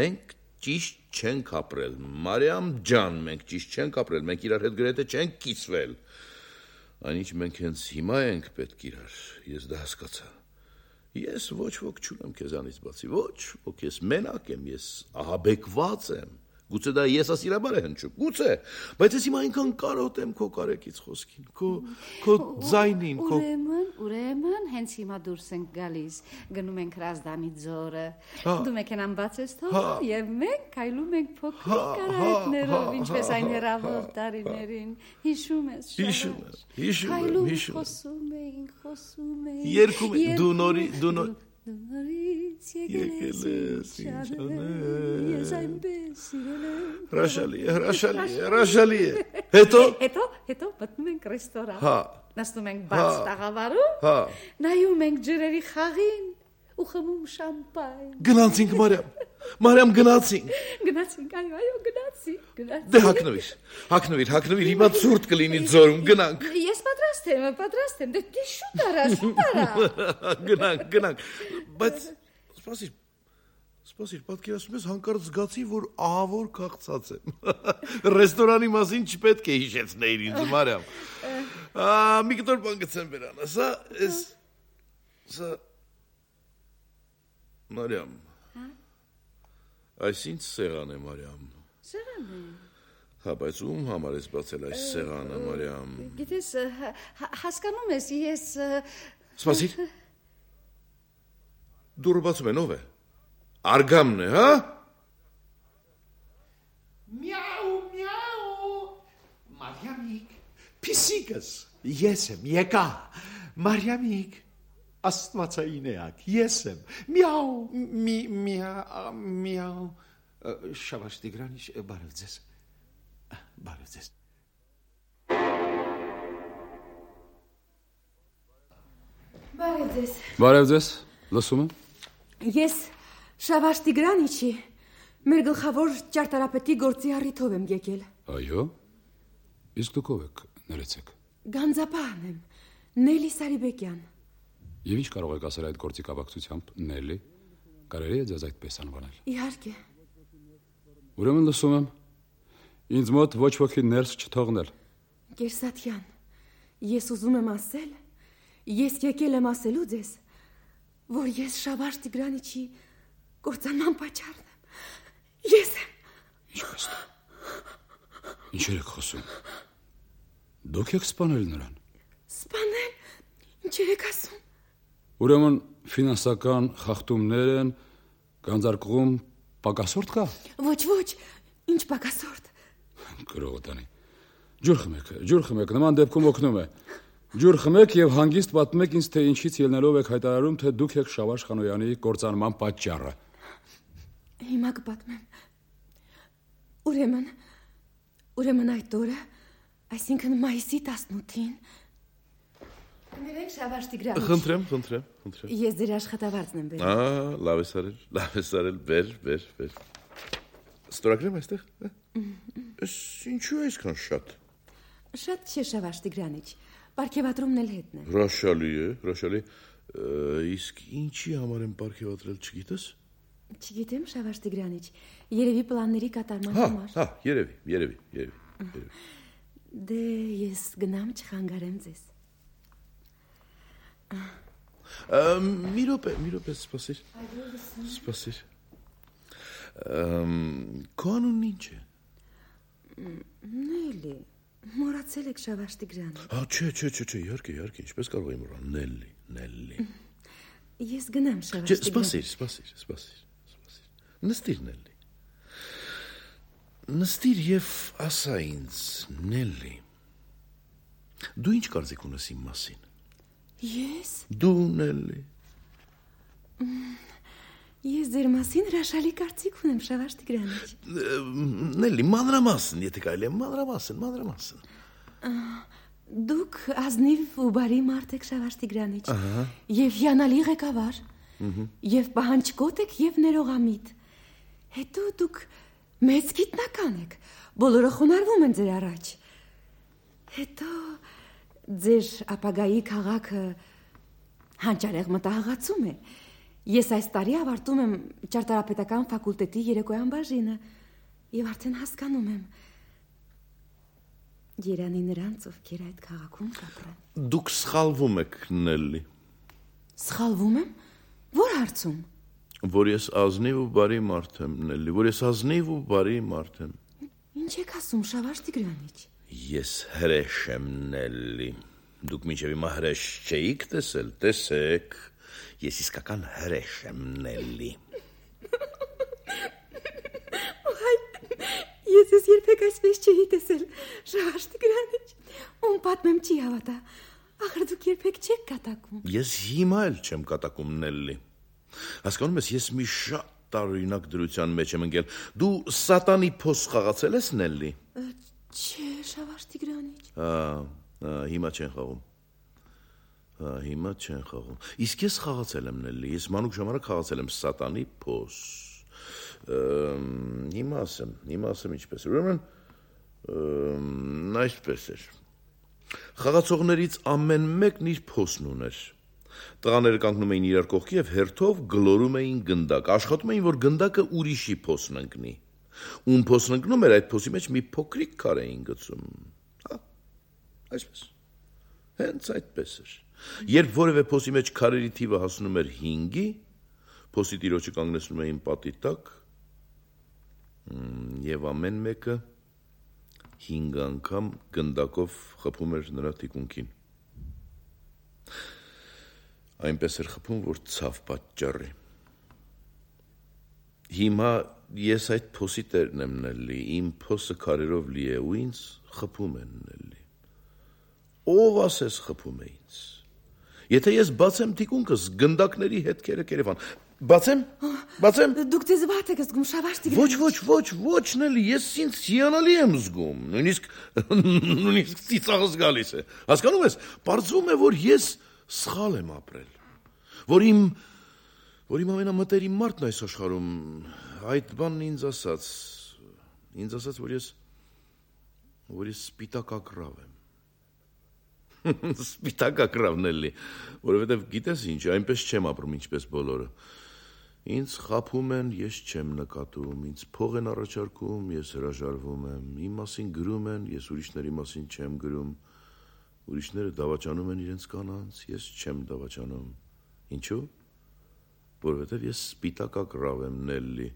մենք ճիշտ չենք ապրել, Մարիամ ջան, մենք ճիշտ չենք ապրել, մենք իրար հետ գրեթե չենք կիսվել։ Այնինչ մենք հենց հիմա ենք պետք իրար, ես դա հասկացա։ Ես ոչ ոք չունեմ քեզանից բացի, ոչ ոք, ես մենակ եմ, ես ահաբեկված եմ։ Գուցե դա եսասիրաբար է հնչում, գուցե, բայց ես հիմա այնքան կարոտ եմ քո կարեկից խոսքին, քո քո ձայնին, քո Ուրեմն, ուրեմն, հենց հիմա դուրս ենք գալիս, գնում ենք Հրազդանի ձորը, դու մեքենան բացես թողում եւ մենք քայլում ենք փոքրիկ արահետներով, ինչպես այն հեռավոր տարիներին, հիշում ես, հիշում եմ, հիշում եմ, հիշում եմ, խոսում էինք, խոսում էինք, երկում ենք, դու նորի, դու նոր Նորից եկել ես ինձ ես այնպես սիրել եմ։ Հրաշալի է, հրաշալի է, հրաշալի է։ Հետո Հետո, հետո մտնում ենք ռեստորան։ Հա։ Նստում ենք բաց տաղավարում։ Հա։ Նայում ենք ջրերի խաղին ու խմում շամպայն։ Գնացինք Մարիամ։ Մարիամ գնացինք։ Գնացինք, այո, այո, գնացինք, գնացինք։ Դե հագնվիր, հագնվիր, հագնվիր, հիմա ցուրտ կլինի ձորում, գնանք։ Ես պատրաստ եմ, պատրաստ եմ։ Դե դե շուտ արա, շուտ արա։ Գնանք, գնանք։ Բայց սպասիր, սպասիր, պատկերացնում ես հանկարծ զգացի, որ ահավոր քաղցած եմ։ Ռեստորանի մասին չպետք է հիշեցնեիր ինձ, Մարիամ։ Ա, մի կտոր բան գցեմ բերանը, սա, էս, սա, Մարիամ, այս ինչ սեղան է, Մարիամ։ Սեղան է։ Հա, բայց ում համար ես բացել այս սեղանը, Մարիամ։ Գիտես, հասկանում ես, ես Սպասիր։ Դուրը բացում են, ով է։ Արգամն է, հա։ Միաու, միաու։ Մարիամիկ, պիսիկս, ես եմ, եկա։ Մարիամիկ, աստվածային էակ, ես եմ, միաու, մի, միա, միաու, Շավարժ Տիգրանիչ, բարև ձեզ, բարև ձեզ։ Բարև ձեզ, Բարև ձեզ, լսում եմ։ ես Շավարժ Տիգրանիչի, մեր գլխավոր ճարտարապետի գործի առիթով եմ եկել։ Այո, իսկ դուք ով եք, ներեցեք։ Գանձապահն եմ, Նելի Սարիբեկյան։ Եվ ինչ կարող եք ասել այդ գործի կապակցությամբ, Նելի, կարելի է ձեզ այդպես անվանել։ Իհարկե։ Ուրեմն լսում եմ, ինձ մոտ ոչ ոքի ներս չթողնել։ Կերսաթյան, ես ուզում եմ ասել, ես եկել եմ ասելու ձեզ, որ ես Շավարժ Տիգրանիչի կործանման պատճառն եմ։ Ես եմ։ Ինչպես։ Ինչեր եք խոսում։ Դուք եք սպանել նրան։ Սպանել։ Ինչեր եք ասում։ Ուրեմն ֆինանսական խախտումներ են, գանձարկղում պակասորդ կա։ Ոչ, ոչ, ինչ պակասորդ։ Գրողոտանի։ Ջուր խմեք, ջուր խմեք, նման դեպքում օգնում է։ Ջուր խմեք եւ հանգիստ պատմեք ինձ, թե ինչից ելնելով եք հայտարարում, թե դուք եք Շավարժ Խանոյանի կործանման պատճառը։ Հիմա կպատմեմ։ Ուրեմն, ուրեմն այդ օրը, այսինքն մայիսի տասնութին, Ներեք Շավարժ Տիգրանիչ։ Խնդրեմ, խնդրեմ, խնդրեմ։ Ես ձեր աշխատավարձն եմ բերել։ Ահա, լավ ես արել, լավ ես արել, բեր, բեր, բեր։ Ստորագրեմ այստեղ։ Էս ինչու է այսքան շատ։ Շատ չէ Շավարժ Տիգրանիչ, պարգևատրումն էլ հետն է։ Հրաշալի է, հրաշալի։ Իսկ ինչի համար եմ պարգևատրել, չգիտես։ Չգիտեմ, Շավարժ Տիգրանիչ, երևի պլանների կատարման Հա, համար։ հա, երևի, երևի, երևի, երևի։ Դե ես գնամ չխանգարեմ ձեզ։ Մի րոպե, մի րոպե, սպասիր։ Սպասիր։ Քո անունն ինչ է։ Նելի, մոռացել եք Շավարժ Տիգրանիչ։ Հա, չէ, չէ, չէ, չէ, իհարկե, իհարկե, ինչպես կարող եմ մոռանալ, Նելի, Նելի։ Ես գնամ Շավարժ Չէ, Տիգրանիչ։ սպասիր, սպասիր, սպասիր, սպասիր։ Նստիր, Նելի։ Նստիր եւ ասա ինձ, Նելի։ Դու ինչ կարծիք ունես իմ մասին։ Ես։ Դու, Նելի։ Ես ձեր մասին հրաշալի կարծիք ունեմ, Շավարժ Տիգրանիչ։ Նելի, մանրամասն, եթե կարելի է, մանրամասն, մանրամասն։ Դուք ազնիվ ու բարի մարդ եք, Շավարժ Տիգրանիչ, եւ հիանալի ղեկավար, եւ պահանջկոտ եք եւ ներողամիտ։ Հետո դուք մեծ գիտնական եք, բոլորը խոնարհվում են ձեր առաջ։ Հետո ձեր ապագայի քաղաքը հանճարեղ մտահղացում է։ Ես այս տարի ավարտում եմ ճարտարապետական ֆակուլտետի երեկոյան բաժինը եւ արդեն հասկանում եմ Երանի նրանց, ովքեր այդ քաղաքում կապրեն։ Դուք սխալվում եք, Նելի։ Սխալվում եմ։ Որ հարցում։ Որ ես ազնիվ ու բարի մարդ եմ, Նելի, որ ես ազնիվ ու բարի մարդ եմ։ Ինչ եք ասում, Շավարժ Տիգրանիչ։ Ես հրեշ եմ, Նելի։ Դուք մինչև հիմա հրեշ չէիք տեսել, տեսեք։ Ես իսկական հրեշ եմ, Նելի։ Ես ես երբեք այսպես չէի տեսել, Շավարժ Տիգրանիչ, ում պատմեմ չի հավատա, ախր դուք երբեք չեք կատակում։ Ես հիմա էլ չեմ կատակում, Նելի։ Հասկանում ես, ես մի շատ տարօրինակ դրության մեջ եմ ընկել։ Դու սատանի փոս խաղացել ես, Նելի։ Չէ, Շավարժ Տիգրանիչ։ Հա, հիմա չեն խաղում։ Հա, հիմա չեն խաղում։ Իսկ ես խաղացել եմ, Նելի, ես մանուկ ժամանակ խաղացել եմ սատանի փոս։ Հիմա ասեմ, հիմա ասեմ ինչպես էր, ուրեմն այսպես էր։ Խաղացողներից ամեն մեկն իր փոսն ուներ։ Տղաները կանգնում էին իրար կողքի եւ հերթով գլորում էին գնդակ, աշխատում էին, որ գնդակը ուրիշի փոսն ընկնի։ Ում փոսն ընկնում էր, այդ փոսի մեջ մի փոքրիկ քար էին գցում։ Հա, այսպես։ Հենց այդպես էր։ Երբ որևէ փոսի մեջ քարերի թիվը հասնում էր հինգի, փոսի տիրոջը կանգնեցնում էին պատի տակ եւ ամեն մեկը հինգ անգամ գնդակով խփում էր նրա թիկունքին։ Այնպես էր խփում, որ ցավ պատճառի։ Հիմա ես այդ փոսի տերն եմ, Նելի, իմ փոսը քարերով լի է ու ինձ խփում են, Նելի։ Ով ասես խփում է ինձ։ Եթե ես բացեմ թիկունքս, գնդակների հետքերը կերևան։ Բացեմ։ Բացեմ։ Դուք ձեզ վատ եք զգում, Շավարժ Տիգրանիչ։ Ոչ, ոչ, ոչ, ոչ, Նելի, ես ինձ հիանալի եմ զգում։ Նույնիսկ նույնիսկ ծիծաղս գալիս է։ Հասկանում ես, պարզվում է, որ ես սխալ եմ ապրել։ Որ իմ որ իմ ամենամտերիմ մարդն այս աշխարհում այդ բանն ինձ ասաց, ինձ ասաց, որ ես որ ես սպիտակակրավ եմ։ Սպիտակակրավն էլի, որովհետև գիտես ինչ, այնպես չեմ ապրում ինչպես բոլորը։ Ինձ խափում են, ես չեմ նկատում, ինձ փող են առաջարկում, ես հրաժարվում եմ, իմ մասին գրում են, ես ուրիշների մասին չեմ գրում, ուրիշները դավաճանում են իրենց կանանց, ես չեմ դավաճանում։ Ինչու՞։ Որովհետև ես սպիտակակրավ եմ, Նելի։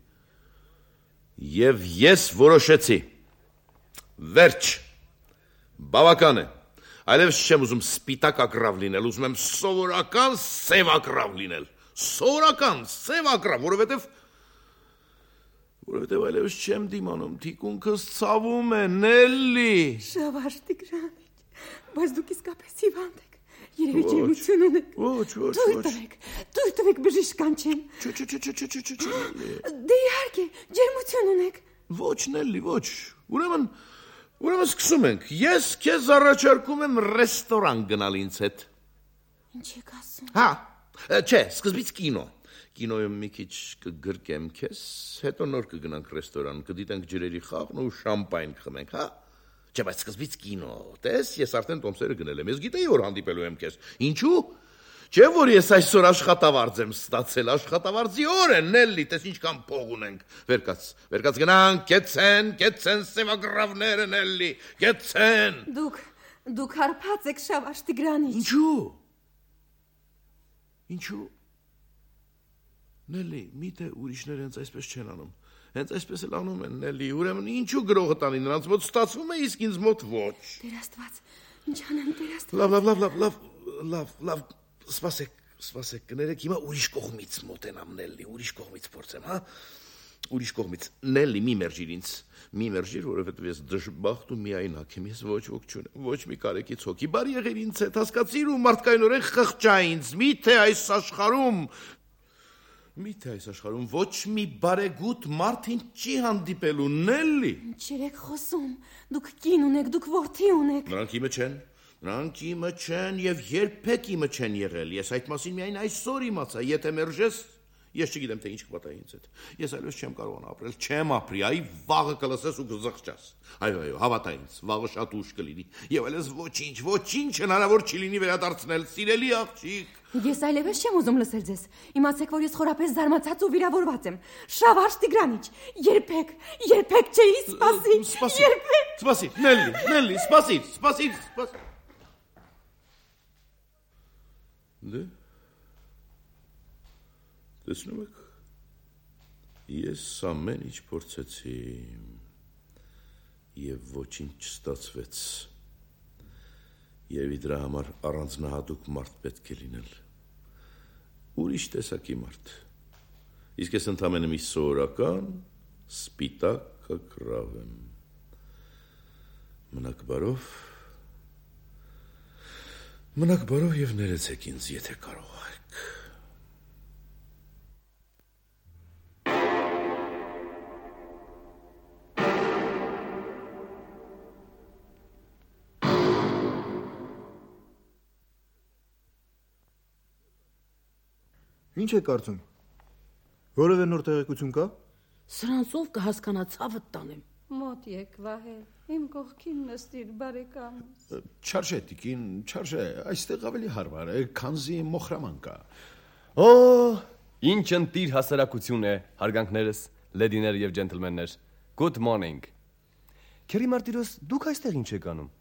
Եվ ես որոշեցի։ Վերջ։ Բավական է։ Այլևս չեմ ուզում սպիտակակրավ լինել, ուզում եմ սովորական սևակրավ լինել։ Սովորական սևակրավ, որովհետև որովհետև այլևս չեմ դիմանում, թիկունքս ցավում է, Նելի։ Շավարժ Տիգրանիչ, բայց դուք իսկապես հիվանդ եք։ Երևի ջերմություն ունեք։ Ոչ, ոչ, Դուր տվեք, դուր տվեք բժիշկ կանչեմ։ Չէ, չէ, չէ, չէ, չէ, չէ, չէ։ Դե իհարկե, ջերմություն ունեք։ Ոչ, Նելի, ոչ։ Ուրեմն Ուրեմն սկսում ենք։ Ես քեզ առաջարկում եմ ռեստորան գնալ ինձ հետ։ Ինչ եք ասում։ Հա, չէ, սկզբից կինո։ Կինոյում մի քիչ կգրկեմ քեզ, հետո նոր կգնանք ռեստորան, կդիտենք ջրերի խաղն ու շամպայն կխմենք, հա։ Չէ, բայց սկզբից կինո։ Տես, ես արդեն տոմսերը գնել եմ։ Ես գիտեի, որ հանդիպելու եմ քեզ։ Ինչու՞։ Չէ՞ որ ես այսօր աշխատավարձ եմ ստացել, աշխատավարձի օր է, Նելլի, տես ինչքան փող ունենք։ Վերկաց, վերկաց գնանք, կեցեն, կեցեն սևագրավները, Նելլի, կեցեն։ Դուք, դուք հարբած եք Շավարժ Տիգրանիչ։ Ինչու՞։ Ինչու՞։ Նելլի, միթե ուրիշները հենց այսպես չեն անում։ Հենց այսպես էլ անում են, Նելլի, ուրեմն ինչու գրողը տանի նրանց մոտ ստացվում է, իսկ ինձ մոտ ոչ։ Տեր Աստված, ինչ անեմ, Տեր Աստված։ Լավ, լավ, լավ, լավ, լավ, լավ, լավ, սպասեք, սպասեք, կներեք, հիմա ուրիշ կողմից մոտենամ, Նելլի, ուրիշ կողմից փորձեմ, հա։ Ուրիշ կողմից, Նելլի, մի մերժիր ինձ, մի մերժիր, որովհետև ես դժբախտ ու միայնակ եմ, ես ոչ ոք չունեմ, ոչ մի կարեկից հոգի, բարի եղիր ինձ հետ, հասկացիր ու մարդկայնորեն խղճա ինձ, միթե այս աշխարհում Միթե այս աշխարհում ոչ մի բարեգութ մարդ ինձ չի հանդիպելու, Նելլի։ Ինչ եք խոսում, դուք կին ունեք, դուք որդի ունեք։ Նրանք իմը չեն, նրանք իմը չեն եւ երբեք իմը չեն եղել։ Ես այդ մասին միայն այսօր իմացա, եթե մերժես, ես չգիտեմ թե ինչ կպատահի ինձ հետ։ Ես այլևս չեմ կարողանա ապրել, չեմ ապրի, այ վաղը կլսես ու կզղջաս։ Այո, այո, հավատա ինձ, վաղը շատ ուշ կլինի։ Եվ այլևս ոչինչ, ոչինչ հնարավոր չի լինի վերադարձնել, սիրելի աղջիկ։ Ես այլևս չեմ ուզում լսել ձեզ։ Իմացեք, որ ես խորապես զարմացած ու վիրավորված եմ։ Շավարժ Տիգրանիչ, երբեք, երբեք չէի սպասի։ Երբեք։ Սպասի, Նելլի, Նելլի, սպասի, սպասի, սպասի։ Դե Տեսնում եք, ես ամեն ինչ փորձեցի եւ ոչինչ չստացվեց։ Եվ դրա համար առանձնահատուկ մարդ պետք է լինել։ Ուրիշ տեսակի մարդ։ Իսկ ես ընդամենը մի սովորական սպիտակ կռավ եմ։ Մնաք բարով։ Մնաք բարով եւ ներեցեք ինձ, եթե կարող եք։ Ինչ է կարծում։ Որևէ նոր տեղեկություն կա։ Սրանցով կհասկանա ցավը տանեմ։ Մոտ եկ Վահել, իմ կողքին նստիր բարեկամս։ Չարժե տիկին, չարժե, այստեղ ավելի հարմար է, քանզի մոխրաման կա։ Օ, ինչ ընտիր հասարակություն է, հարգանքներս, լեդիներ եւ ջենտլմեններ։ Good morning։ Քերի Մարտիրոս, դուք այստեղ ինչ եք անում։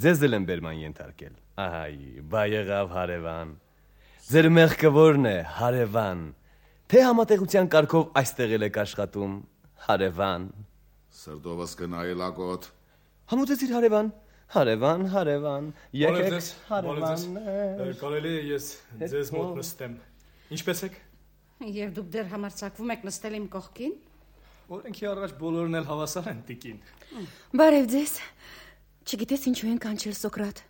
Ձեզ էլ եմ բերման ենթարկել։ Ահայ, բա եղավ հարևան։ Ձեր մեղքը ո՞րն է, հարևան։ Թե համատեղության կարգով այստեղ եք աշխատում, հարևան։ Սրտովս կնայելակոտ։ Համոզեցիր հարևան, հարևան, հարևան, եկեք, հարևան։ Կարելի է ես ձեզ մոտ նստեմ։ Ինչպես եք։ Եվ դուք դեռ համարձակվում եք նստել իմ կողքին։ Օրենքի առաջ բոլորն էլ հավասար են, տիկին։ Բարև ձեզ։ Չգիտես ինչու են կանչել Սոկրատ։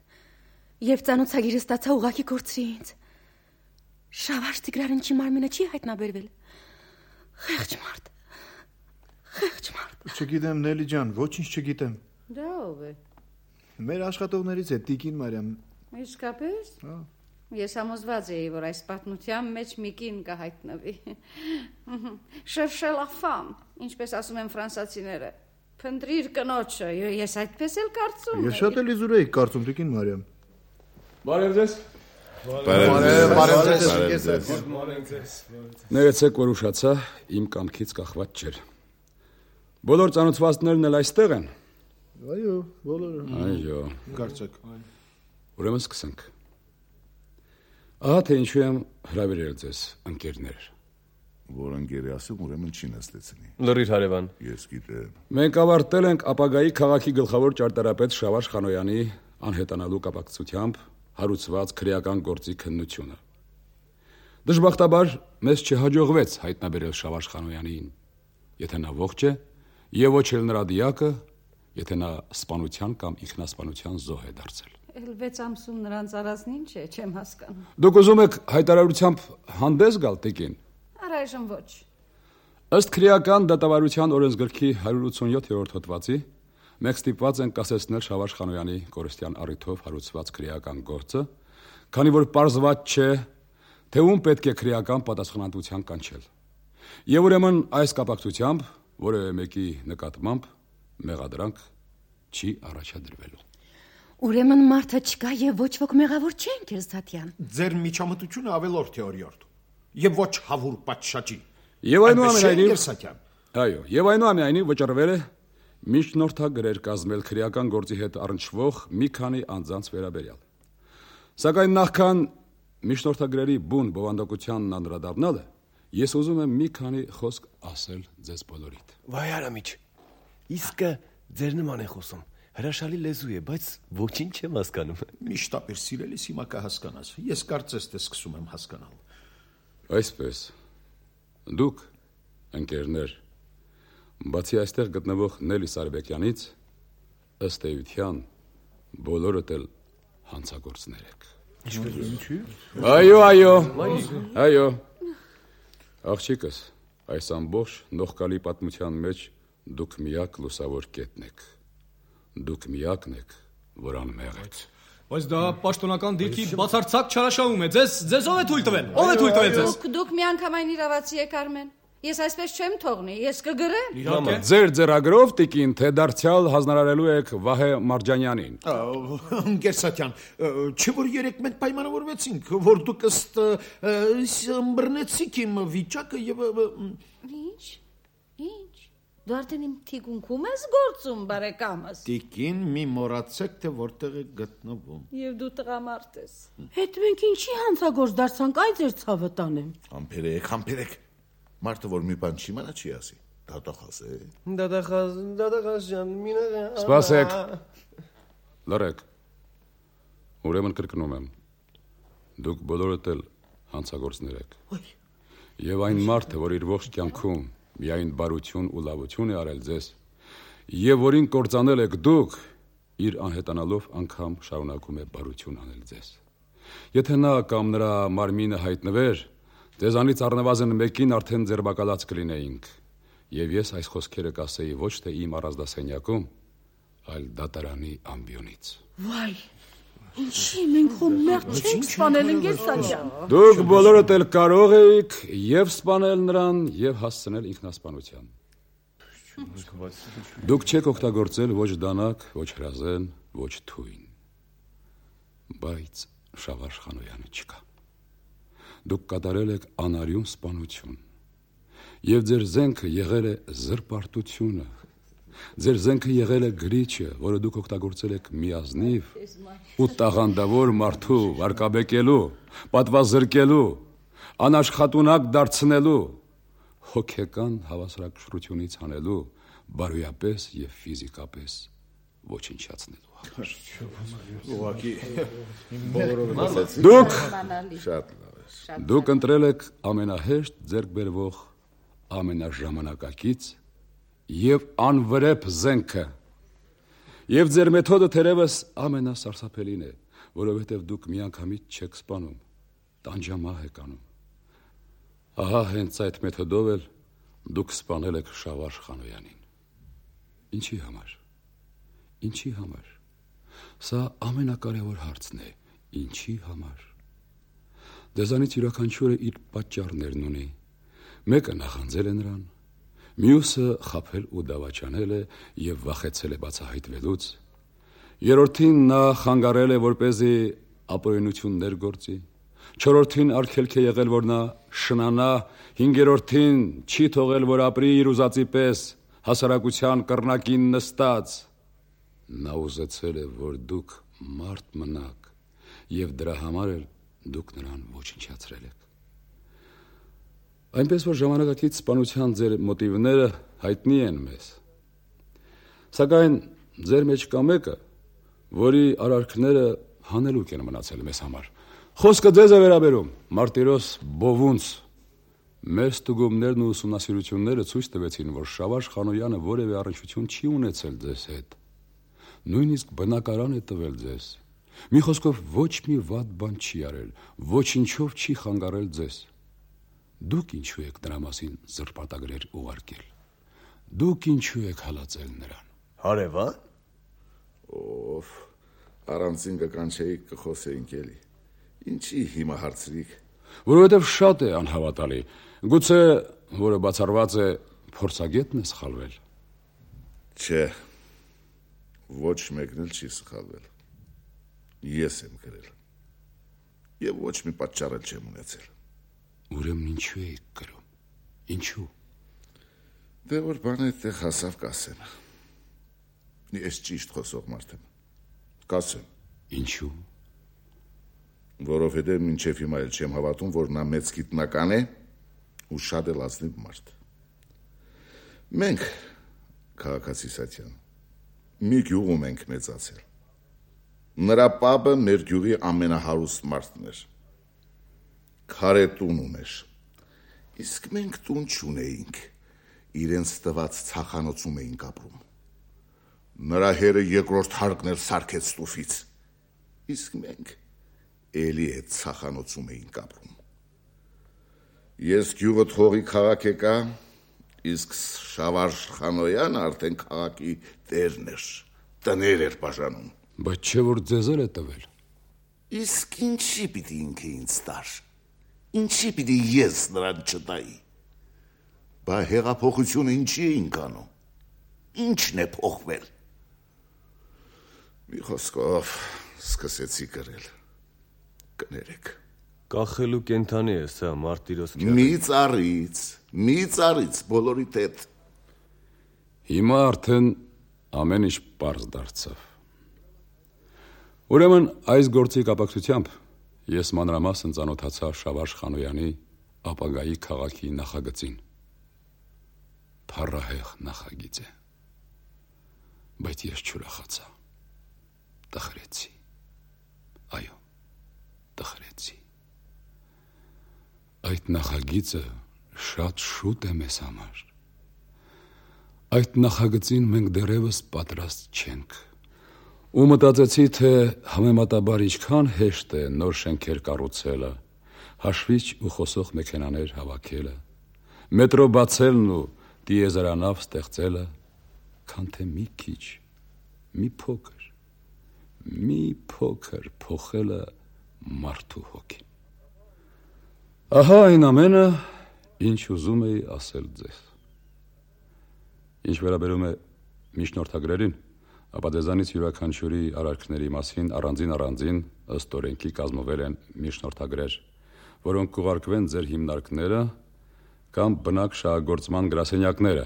Եվ ծանոթագիրը ստացա ուղակի կորցրի ինձ։ Շավարժ Տիգրանիչի մարմինը չի հայտնաբերվել։ Խեղճ մարդ։ Խեղճ մարդ։ Չգիտեմ, Նելի ջան, ոչինչ չգիտեմ։ Դա ով է։ Մեր աշխատողներից է Տիկին Մարիամ։ Իսկապես։ Հա։ Ես համոզված էի, որ այս պատմության մեջ մի կին կհայտնվի։ Cherchez la femme, ինչպես ասում են ֆրանսացիները։ Փնտրիր կնոջը, ես այդպես էլ կարծում եմ։ Ես շատ էլ իզուր էի կարծում, Տիկին Մարիամ։ Բարև ձեզ։ Ներեցեք, որ ուշացա, իմ կամքից կախված չէր։ Բոլոր ծանոթվածներն էլ այստեղ են։ Այո, բոլորը։ Այո։ Կարծեք։ Ուրեմն սկսենք։ Ահա թե ինչու եմ հրավիրել ձեզ, ընկերներ։ Որ ընկերի ասում, ուրեմն չի նստեցնի։ Լրիր հարևան։ Ես գիտեմ։ Մենք ավարտել ենք ապագայի քաղաքի գլխավոր ճարտարապետ Շավարժ Խանոյանի անհետանալու կապակցությամբ հարուցված քրեական գործի քննությունը։ Դժբախտաբար մեզ չհաջողվեց հայտնաբերել Շավարժ Խանոյանին, եթե նա ողջ է, եւ ոչ էլ նրա դիակը, եթե նա սպանության կամ ինքնասպանության զոհ է դարձել։ Էլ վեց ամսում նրանց արածն ինչ է, չեմ հասկանում։ Դուք ուզում եք հայտարարությամբ հանդես գալ, տիկին։ Առայժմ ոչ։ Ըստ քրեական դատավարության օրենսգրքի հարյուր ութսունյոթ-րդ հոդվածի մենք ստիպված ենք կասեցնել Շավարժ Խանոյանի կորստյան առիթով հարուցված քրեական գործը, քանի որ պարզված չէ, թե ում պետք է քրեական պատասխանատվության կանչել։ Եվ ուրեմն այս կապակցությամբ որևէ մեկի նկատմամբ մեղադրանք չի առաջադրվելու։ Ուրեմն մարդը չկա եւ ոչ ոք մեղավոր չեն, Կերստատյան։ Ձեր միջամտությունը ավելորդ է օրիորդ։ Եվ ոչ հավուր պատշաճի։ Եվ այնուամենայնիվ Կերստատյան։ Այո, եւ այնուամենայնիվ վճռվել է միջնորդագրեր կազմել քրեական գործի հետ առնչվող մի քանի անձանց վերաբերյալ։ Սակայն նախքան միջնորդագրերի բուն բովանդակությանն անդրադառնալը, ես ուզում եմ մի քանի խոսք ասել ձեզ բոլորիդ։ Վայ Արամիչ, իսկը ձեր նման է խոսում։ Հրաշալի լեզու է, բայց ոչինչ չեմ հասկանում։ Միշտ ապեր սիրելիս հիմա կհասկանաս։ Ես կարծես թե սկսում եմ հասկանալ։ Այսպես, դուք, ընկերներ, բացի այստեղ գտնվող Նելի Սարբեկյանից, ըստ էության, բոլորդ էլ հանցագործներ եք։ Այո, այո, այո, աղջիկս, այս ամբողջ նողկալի պատմության մեջ դուք միակ լուսավոր կետն եք, դուք միակն եք, որ անմեղ եք։ Բայց դա պաշտոնական դիրքի բացարձակ չարաշահում է, ձեզ, ձեզ ով է թույլ տվել, ով է թույլ տվել ձեզ։ Դուք, դուք միանգամայն իրավացի եք Արմեն, ես այսպես չեմ թողնի, ես կգրեմ։ Ձեր ձեռագրով տիկին, թե դարձյալ հանձնարարելու եք Վահե Մարջանյանին։ Կերստատյան, չէ որ երեք մենք պայմանավորվեցինք, որ դուք ըստ ըմբռնեցիք իմ վիճակը եւ Ինչ, ինչ, դու արդեն իմ թիկունքում ես գործում, բարեկամս։ Տիկին, մի մոռացեք, թե որտեղ եք գտնվում։ Եվ դու տղամարդ ես։ Հետ մենք ինչի հանցագործ դարձանք, այ ձեր ցավը տանեմ։ Համբերեք, համբերեք։ Մարդը որ մի բան չի իմանա չի ասի։ Դատախազ է։ Դատախազ, դատախազ ջան, մինը։ Սպասեք։ Լռեք։ Ուրեմն կրկնում եմ։ Դուք բոլորդ էլ հանցագործներ եք։ Եվ այն մարդը, որ իր ողջ կյանքում միայն բարություն ու լավություն է արել ձեզ, եւ որին կործանել եք դուք, իր անհետանալով անգամ շարունակում է բարություն անել ձեզ։ Եթե նա կամ նրա մարմինը հայտնվեր, ձեզանից առնվազն մեկին արդեն ձերբակալած կլինեինք, եւ ես այս խոսքերը կասեի ոչ թե իմ առանձնասենյակում, այլ դատարանի ամբիոնից։ Վայ, ինչի մենք խո մեղք չենք սպանել Կերստատյան։ Դուք բոլորդ էլ կարող եք եւ սպանել նրան, եւ հասցնել ինքնասպանության։ Դուք չեք օգտագործել ոչ դանակ, ոչ հրազեն, ոչ թույն։ Բայց Շավարժ Խանոյանը չկա։ Դուք կատարել եք անարյուն սպանություն, եւ ձեր զենքը եղել է զրպարտությունը, ձեր զենքը եղել է գրիչը, որը դուք օգտագործել եք միազնիվ ու տաղանդավոր մարդու վարկաբեկելու, պատվազրկելու, անաշխատունակ դարձնելու, հոգեկան հավասարակշռությունից հանելու, բարոյապես եւ ֆիզիկապես ոչնչացնելու։ Դուք Շատ լավ է։ Դուք ընտրել եք ամենահեշտ ձեռք բերվող, ամենաժամանակակից եւ անվրեպ զենքը։ Եվ ձեր մեթոդը թերևս ամենասարսափելին է, որովհետեւ դուք միանգամից չեք սպանում, տանջամահ եք անում։ Ահա հենց այդ մեթոդով էլ դուք սպանել եք Շավարժ Խանոյանին։ Ինչի համար։ Ինչի համար։ Սա ամենակարևոր հարցն է։ Ինչի համար։ Դեզանից յուրաքանչյուրը իր պատճառներն ունի։ Մեկը նախանձել է նրան, մյուսը խաբել ու դավաճանել է եւ վախեցել է բացահայտվելուց։ Երրորդին նա խանգարել է, որպեսզի ապօրինություններ գործի։ Չորրորդին արգելք է եղել, որ նա շնանա, հինգերորդին չի թողել, որ ապրի իր ուզածի պես, հասարակության կռնակին նստած։ Նա ուզեցել է, որ դուք մարդ մնաք, եւ դրա համար էլ դուք նրան ոչնչացրել եք։ Այնպես որ ժամանակակից սպանության ձեր մոտիվները հայտնի են մեզ։ Սակայն ձեր մեջ կա մեկը, որի արարքները հանելուկ են մնացել մեզ համար։ Խոսքը ձեզ է վերաբերում, Մարտիրոս Բովունց։ Մեր ստուգումներն ու ուսումնասիրությունները ցույց տվեցին, որ Շավարժ Խանոյանը որևէ առնչություն չի ունեցել ձեզ հետ։ Նույնիսկ բնակարան է տվել ձեզ։ Մի խոսքով ոչ մի վատ բան չի արել, ոչինչով չի խանգարել ձեզ։ Դուք ինչու եք նրա մասին զրպարտագրեր ուղարկել։ Դուք ինչու եք հալածել նրան։ Հարևան։ Ով առանցին կկանչեիք կխոսեինք էլի։ Ինչի հիմա հարցրիք։ Որովհետև շատ է անհավատալի։ Գուցե, որը բացառված է, փորձագետն է սխալվել։ Չէ, ոչ մեկն էլ չի սխալվել։ Ես եմ գրել։ Եվ ոչ մի պատճառ էլ չեմ ունեցել։ Ուրեմն ինչու եք գրում։ Ինչու։ Դե որ բանը այդտեղ հասավ կասեմ։ Ես ճիշտ խոսող մարդ եմ։ Կասեմ։ Ինչու։ Որովհետև մինչև հիմա էլ չեմ հավատում, որ նա մեծ գիտնական է ու շատ էլ ազնիվ մարդ։ Մենք, քաղաքացի Սատյան, մի գյուղում ենք մեծացել։ Նրա պապը մեր գյուղի ամենահարուստ մարդն էր։ Քարե տուն ուներ։ Իսկ մենք տուն չունեինք, իրենց տված ցախանոցում էինք ապրում։ Նրա հերը երկրորդ հարկն էր սարքեց տուֆից։ Իսկ մենք էլի այդ ցախանոցում էինք ապրում։ Ես գյուղը թողի քաղաք եկա, իսկ Շավարժ Խանոյանը արդեն քաղաքի տերն էր, տներ էր բաժանում։ Բայց չէ որ ձեզ էլ է տվել։ Իսկ ինչի պիտի ինքը ինձ տար։ Ինչի պիտի ես նրան չտայի։ Բա հեղափոխությունը ինչի էինք անում։ Ինչն է փոխվել։ Մի խոսքով սկսեցի գրել։ Կներեք։ Կախելու կենթանի է սա Մարտիրոս քյարը։ Մի ծառից, մի ծառից բոլորիդ հետ։ Հիմա արդեն ամեն ինչ պարզ դարձավ։ Ուրեմն այս գործի կապակցությամբ ես մանրամասն ծանոթացա Շավարժ Խանոյանի ապագայի քաղաքի նախագծին։ Փառահեղ նախագիծ է։ Բայց ես չուրախացա։ Տխրեցի։ Այո, տխրեցի։ Այդ նախագիծը շատ շուտ է մեզ համար։ Այդ նախագծին մենք դեռևս պատրաստ չենք։ Ու մտածեցի, թե համեմատաբար ինչքան հեշտ է նոր շենքեր կառուցելը, հաշվիչ ու խոսող մեքենաներ հավաքելը, մետրո բացելն ու դիեզերանավ ստեղծելը, քան թե մի քիչ, մի փոքր, մի փոքր փոխելը մարդու հոգին։ Ահա այն ամենը, ինչ ուզում էի ասել ձեզ։ Ինչ վերաբերում է միջնորդագրերին, ապա ձեզանից յուրաքանչյուրի արարքների մասին առանձին-առանձին ըստ օրենքի կազմվել են միջնորդագրեր, որոնք կուղարկվեն ձեր հիմնարկները կամ բնակ շահագործման գրասենյակները,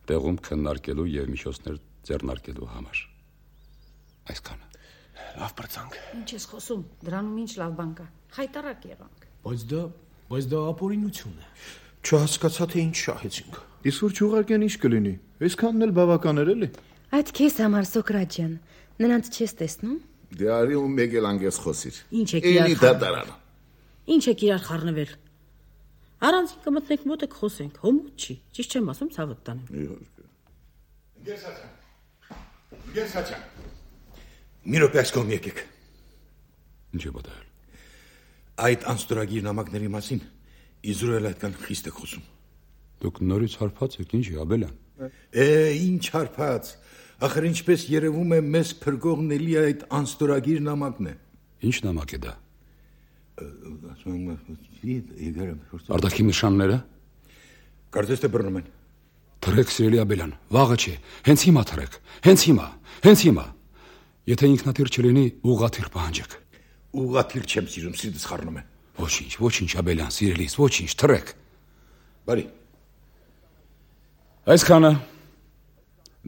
տեղում քննարկելու եւ միջոցներ ձեռնարկելու համար։ Այսքանը։ Լավ բրցանք։ Ինչ ես խոսում, դրանում ինչ լավ բան կա։ Խայտարակ եղանք։ Բայց դա, բայց դա ապօրինություն է։ Չհասկացա թե ինչ շահեցինք։ Իսկ որ չուղարկեն ինչ կլինի։ Այսքանն էլ բավական էր էլի։ Այդ քեզ համար Սոկրատ ջան, նրանց չես տեսնում։ Դե արի ու մեկ էլ անգես խոսիր։ Ինչ եք իրար Էլի դատարան։ Ինչ եք իրար խառնվել։ Առանց կմտնենք մոտ եք խոսենք, հոմոտ չի։ Ճիշտ չեմ ասում, ցավդ տանեմ։ Գեսացան։ Գեսացան։ Մի րոպե այս կողմ եկեք։ Ինչ է պատահել։ Այդ անստորագիր նամակների մասին Իզրայել այդքան խիստ եք խոսում։ Դուք նորից հարբած եք, ինչ է, Աբելյան։ Է, ինչ հարբած։ Ախր ինչպես երևում է, մեզ փրկողն էլի այդ անստորագիր նամակն է։ Ինչ նամակ է դա։ Ասում Արտաքին նշանները։ Կարծես թե բռնում են։ Թրեք, սիրելի Աբելյան, վաղը չէ, հենց հիմա թրեք, հենց հիմա, հենց հիմա։ Եթե ինքնաթիռ չլինի, ուղղաթիռ պահանջեք։ Ուղղաթիռ չեմ սիրում, սիրտս խառնում է։ Ոչինչ, ոչինչ, Աբելյան, սիրելիս, ոչինչ, թրեք։ Բարի։ Այսքանը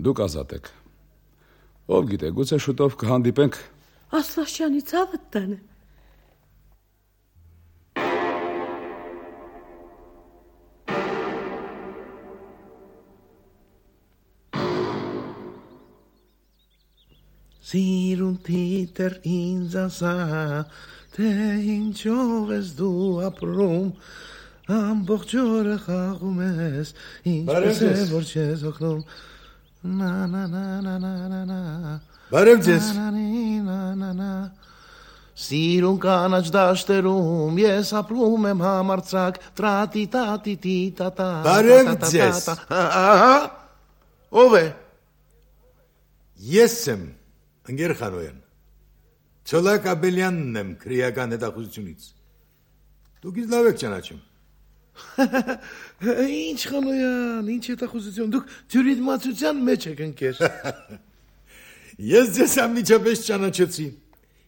դուք ազատ եք։ Ով գիտե, գուցե շուտով կհանդիպենք։ Ասլաշյանի ցավը տանը։ Սիրուն թիտր ինձ ասա, թե ինչով ես դու ապրում, ամբողջ օրը խաղում ես, ինչպես է որ չես օգնում, նա նա նա նա նա նա նա Բարև ձեզ։ Սիրուն կանաչ դաշտերում ես ապրում եմ համարձակ, տրատի տատի տի տատա։ Բարև ձեզ։ Ահա, ով է։ Ես եմ, ընկեր Խանոյան։ Ցոլակ Աբելյանն եմ քրեական հետախուզությունից։ Դուք ինձ լավ եք ճանաչում։ Ինչ Խանոյան, ինչ հետախուզություն, դուք ջուրիդմացության մեջ եք ընկեր։ Ես ձեզ անմիջապես ճանաչեցի։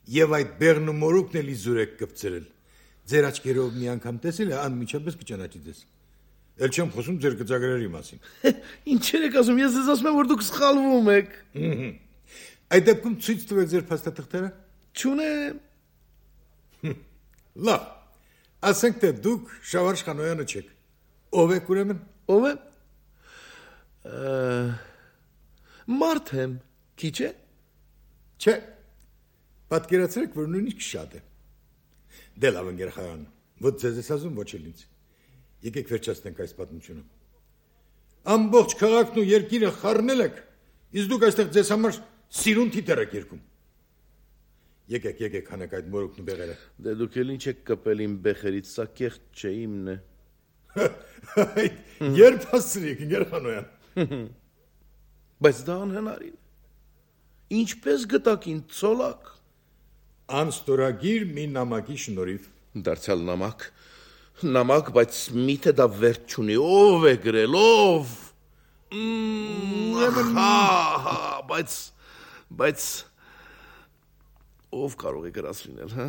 Եվ այդ բեղն ու մորուքն էլ իզուր եք կպցրել։ Ձեր աչքերով մի անգամ տեսել է, անմիջապես կճանաչի ձեզ։ Էլ չեմ խոսում ձեր գծագրերի մասին։ Ինչեր եք ասում, ես ձեզ ասում եմ, որ դուք սխալվում եք։ Այդ դեպքում ցույց տվեք ձեր փաստաթղթերը։ Չունեմ։ Լավ։ Ասենք թե դուք Շավարժ Խանոյանը չեք։ Ով եք ուրեմն։ Ով է։ Մարդ եմ, քիչ է։ Չէ։ Պատկերացրեք, որ նույնիսկ շատ է։ Դե լավ ընկերախայան, ոչ ձեզ ես ասում, ոչ էլ ինձ։ Եկեք վերջացնենք այս պատմությունը։ Ամբողջ քաղաքն ու երկիրը խառնել եք, իսկ դուք այստեղ ձեզ համար սիրուն թիթեռ եք երգում։ Եկեք, եկեք, հանեք այդ մորուքն ու բեղերը։ Դե դուք էլ ինչ եք կպել իմ բեխերից, սա կեղծ չէ, իմն է։ Երբ հասցրիք, ընկերախանոյան։ Բայց դա անհնարին է։ Ինչպես գտաք ինձ ցոլակ։ Անստորագիր մի նամակի շնորհիվ։ Դարձյալ նամակ։ Նամակ, բայց միթե դա վերջ չունի, ով է գրել, ով։ Հա, հա, բայց բայց ով կարող է գրած լինել, հա։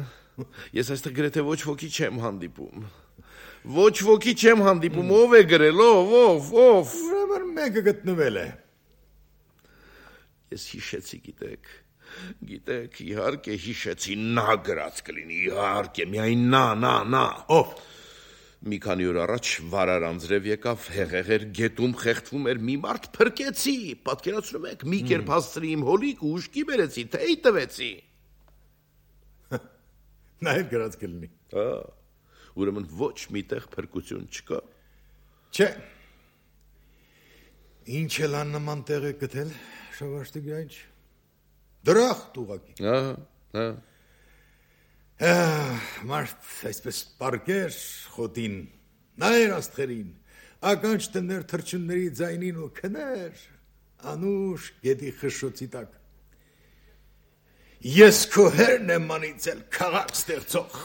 Ես այստեղ գրեթե ոչ ոքի չեմ հանդիպում։ Ոչ ոքի չեմ հանդիպում, ով է գրել, ով, ով, ով։ Ուրեմն մեկը գտնվել է։ Ես հիշեցի, գիտեք, գիտեք, իհարկե հիշեցի, նա գրած կլինի, իհարկե, միայն նա, նա, նա։ Ով։ Մի քանի օր առաջ վարար անձրև եկավ, հեղեղեր գետում խեղդվում էր մի մարդ, փրկեցի, պատկերացնում եք, մի կերպ հասցրի իմ հոլիկ ու ուշքի բերեցի, թեյ տվեցի։ Նա էլ գրած կլինի։ Հա, ուրեմն ոչ միտեղ փրկություն չկա։ Չէ։ Ինչ էլ աննման տեղ է գտել, Շավարժ Տիգրանիչ։ Դրախտ ուղակի։ Ահա, հա։ Մարդ այսպես պարկեր խոտին, նայր աստղերին, ականջ տներ թրջունների ձայնին ու քներ, անուշ գետի խշշոցի տակ։ Ես քո հերն եմ անիծել քաղաք ստեղծող։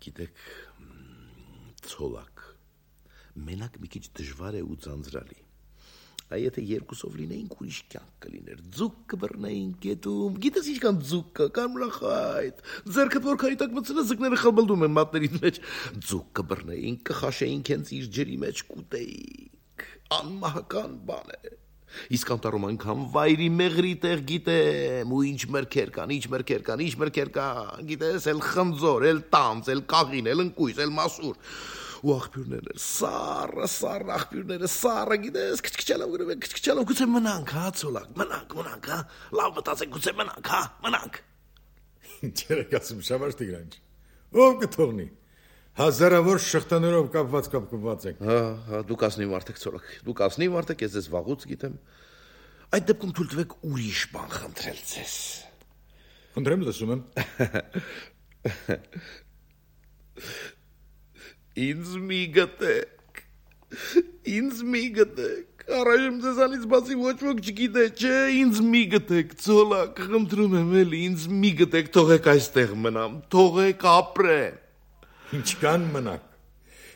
Գիտեք, ցոլակ, մենակ մի քիչ դժվար է ու ձանձրալի։ Այ եթե երկուսով լինեինք, ուրիշ կյանք կլիներ, ձուկ կբռնեինք գետում, գիտես ինչքան ձուկ կա, կարմրախայտ, ձեռքդ որքանի տակ մտցնես, ձկները խլբլդում են մատներից մեջ, ձուկ կբռնեինք, կխաշեինք հենց իր ջրի մեջ, կուտեինք, անմահական բան է։ Իսկ անտառում այնքան վայրի մեղրի տեղ գիտեմ, ու ինչ մրգեր կան, ինչ մրգեր կան, ինչ մրգեր կան, գիտես, էլ խնձոր, էլ տանձ, էլ կաղին, էլ ընկույզ, էլ մասուր։ Ու աղբյուրները, սառը, սառը աղբյուրները, սառը, գիտես, քչքչալով գրում են, քչքչալով, գուցե մնանք, հա, ցոլակ, մնանք, մնանք, հա, լավ մտածեք, գուցե մնանք, հա, մնանք։ Ինչեր եք ասում, Շավարժ Տիգրանիչ, ով կթողնի, հազարավոր շղթաներով կապված կապկված եք։ Հա, հա, դուք ասնի մարդեք, ցոլակ, դուք ասնի մարդեք, ես ձեզ վաղուց գիտեմ, այդ դեպքում թույլ տվեք ուրիշ բան խնդրել ձեզ։ Խնդրեմ, լսում եմ։ Ինձ մի գտեք, ինձ մի գտեք, առայժմ ձեզանից բացի ոչ ոք չգիտե, չէ, ինձ մի գտեք, ցոլակ, խնդրում եմ էլի, ինձ մի գտեք, թողեք այստեղ մնամ, թողեք ապրեմ։ Ինչքան մնաք,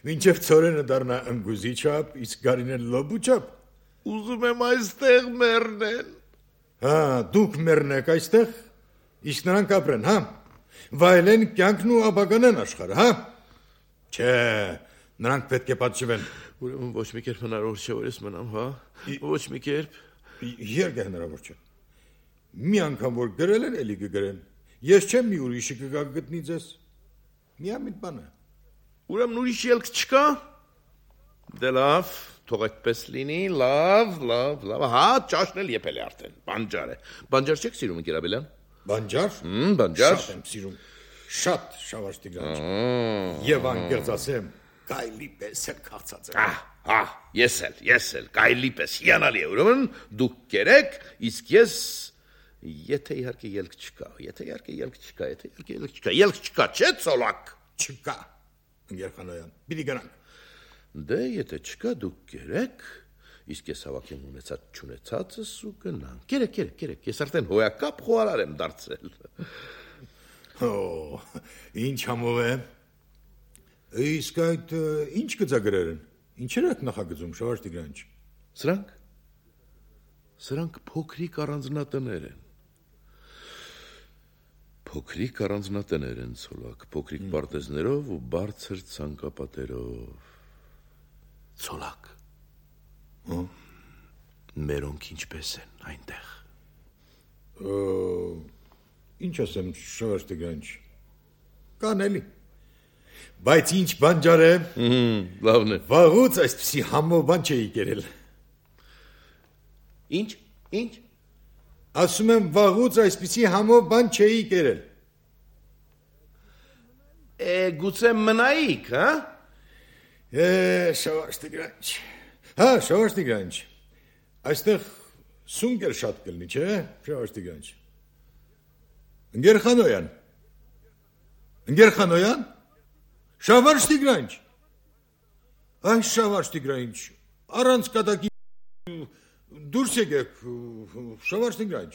մինչև ցորենը դառնա ընգուզի չափ, իսկ գարիները լոբու չափ։ Ուզում եմ այստեղ մեռնել։ Հա, դուք մեռնեք այստեղ, իսկ նրանք ապրեն, հա, վայելեն կյանքն ու ապագան աշխարհը, հա։ Չէ, նրանք պետք է պատժվեն։ Ուրեմն ոչ մի կերպ հնարավոր չէ, որ ես մնամ, հա։ Ոչ մի կերպ։ Երբ է հնարավոր չէ։ Մի անգամ որ գրել են, էլի կգրեն։ Ես չեմ մի ուրիշը կգա գտնի ձեզ։ Միամիտ բան է։ Ուրեմն ուրիշ ելք չկա։ Դե լավ, թող այդպես լինի, լավ, լավ, լավ։ Հա, ճաշն էլ եփել է արդեն, բանջար է։ Բանջար չեք սիրում, ընկեր Աբելյան։ Բանջար։ Հմ, բանջար։ Շատ եմ սիրում։ Շատ, Շավարժ Տիգրանիչ։ Եվ անկեղծ ասեմ, գայլի պես էլ քաղցած եմ։ Ահ, ահ, ես էլ, ես էլ, գայլի պես հիանալի է, ուրեմն դուք կերեք, իսկ ես եթե իհարկե ելք չկա, եթե իհարկե ելք չկա, եթե իհարկե ելք չկա, ելք չկա, չէ՞ ցոլակ։ Չկա, ընկերխանոյան, պիտի գնանք։ Դե եթե չկա, դուք կերեք, իսկ ես հավաքեմ ունեցած չունեցածս ու գնանք։ Կերեք, կերեք, կերեք, ես արդեն հոյակապ խոհարար եմ դարձել։ Օ, ինչ համով է։ Իսկ այդ ինչ գծագրեր են։ Ինչեր եք նախագծում, Շավարժ Տիգրանիչ։ Սրանք Սրանք փոքրիկ առանձնատներ են։ Փոքրիկ առանձնատներ են ցոլակ, փոքրիկ պարտեզներով ու բարձր ցանկապատերով։ Ցոլակ։ Հա։ Մերոնք ինչպես են այնտեղ։ Ինչ ասեմ, Շավարժ Տիգրանիչ։ Կան էլի։ Բայց ինչ բան ջարեմ։ Լավն է։ Վաղուց այսպիսի համով բան չէի կերել։ Ինչ, ինչ։ Ասում եմ վաղուց այսպիսի համով բան չէի կերել։ Է, գուցե մնայիք, հա։ Է, Շավարժ Տիգրանիչ։ Հա, Շավարժ Տիգրանիչ։ Այստեղ սունկեր շատ կլինի, չէ՞, Շավարժ Տիգրանիչ։ Ընկեր Խանոյան։ Ընկեր Խանոյան։ Շավարժ Տիգրանիչ։ Այ Շավարժ Տիգրանիչ, առանց կատակի դուրս եկեք, Շավարժ Տիգրանիչ։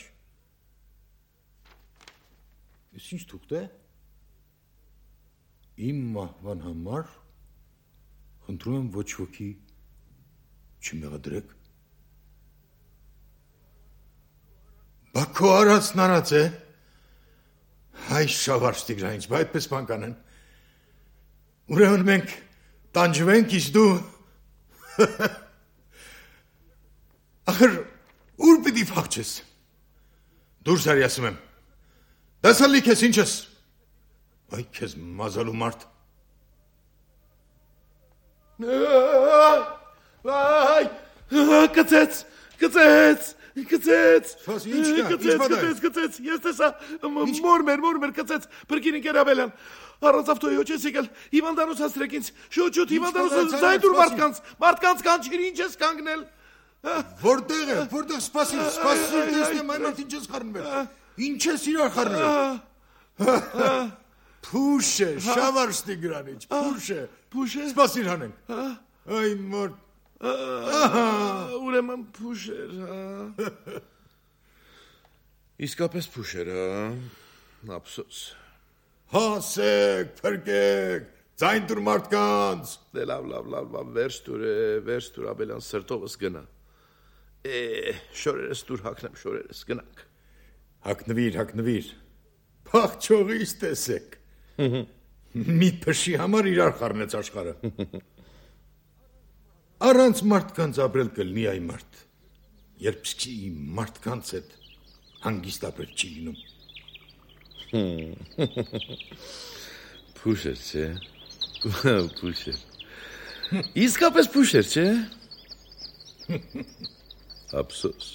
Ես ինչ թուղթ է։ Իմ մահվան համար խնդրում եմ ոչ ոքի չմեղադրեք։ Բա քո արածն արած է։ Այ Շավարժ Տիգրանիչ, բա այդպես բան կանեն։ Ուրեմն մենք տանջվենք, իսկ դու ախր ուր պիտի փախչես։ Դուրս արի ասում եմ։ Դասալի քեզ ինչ ես։ Այ քեզ մազալու մարդ։ Այ, կծեց, կծեց, կծեց, Սպաս, ինչ կա, ինչ բան է։ կծեց, կծեց, ես տեսա, մոր մեր, մոր մեր կծեց, բրկին ինքեր Աբելյան, առանց ավտոյի ոչես եկել, հիվանդանոց հաստրեք ինձ, շուտ, շուտ, հիվանդանոց զայդուր մարդկանց, մարդկանց կանչիր, ինչ ես կանգնել։ Որտեղ է, որտեղ սպասիր, սպասիր, տեսնեմ այն մարդ ինչ ես խառնվել։ Ինչ ես իրար խառնվել։ Փուշ է, Շավարժ Տիգրանիչ, փուշ է։ Փուշ է։ Սպասիր հանենք։ Այ մարդ։ Ուրեմն փուշ էր, հա։ Իսկապես փուշ էր, հա։ Ափսոս։ Հասեք, փրկեք, ձայն տուր մարդկանց։ Դե լավ, լավ, լավ, լավ, վերջ տուր է, վերջ տուր Աբելյան, սրտովս գնա։ Է, շորերս տուր հակնեմ, շորերս, գնանք։ Հակնվիր, հակնվիր, փախչողից տեսեք։ Մի փշի համար իրար խառնեց աշխարհը։ Առանց մարդկանց ապրել կլինի այ մարդ, երբ սկի մարդկանց հետ հանգիստ ապրել չի լինում։ Փուշ էր, չէ։ Փուշ էր։ Իսկապես փուշ էր, չէ։ Ափսոս։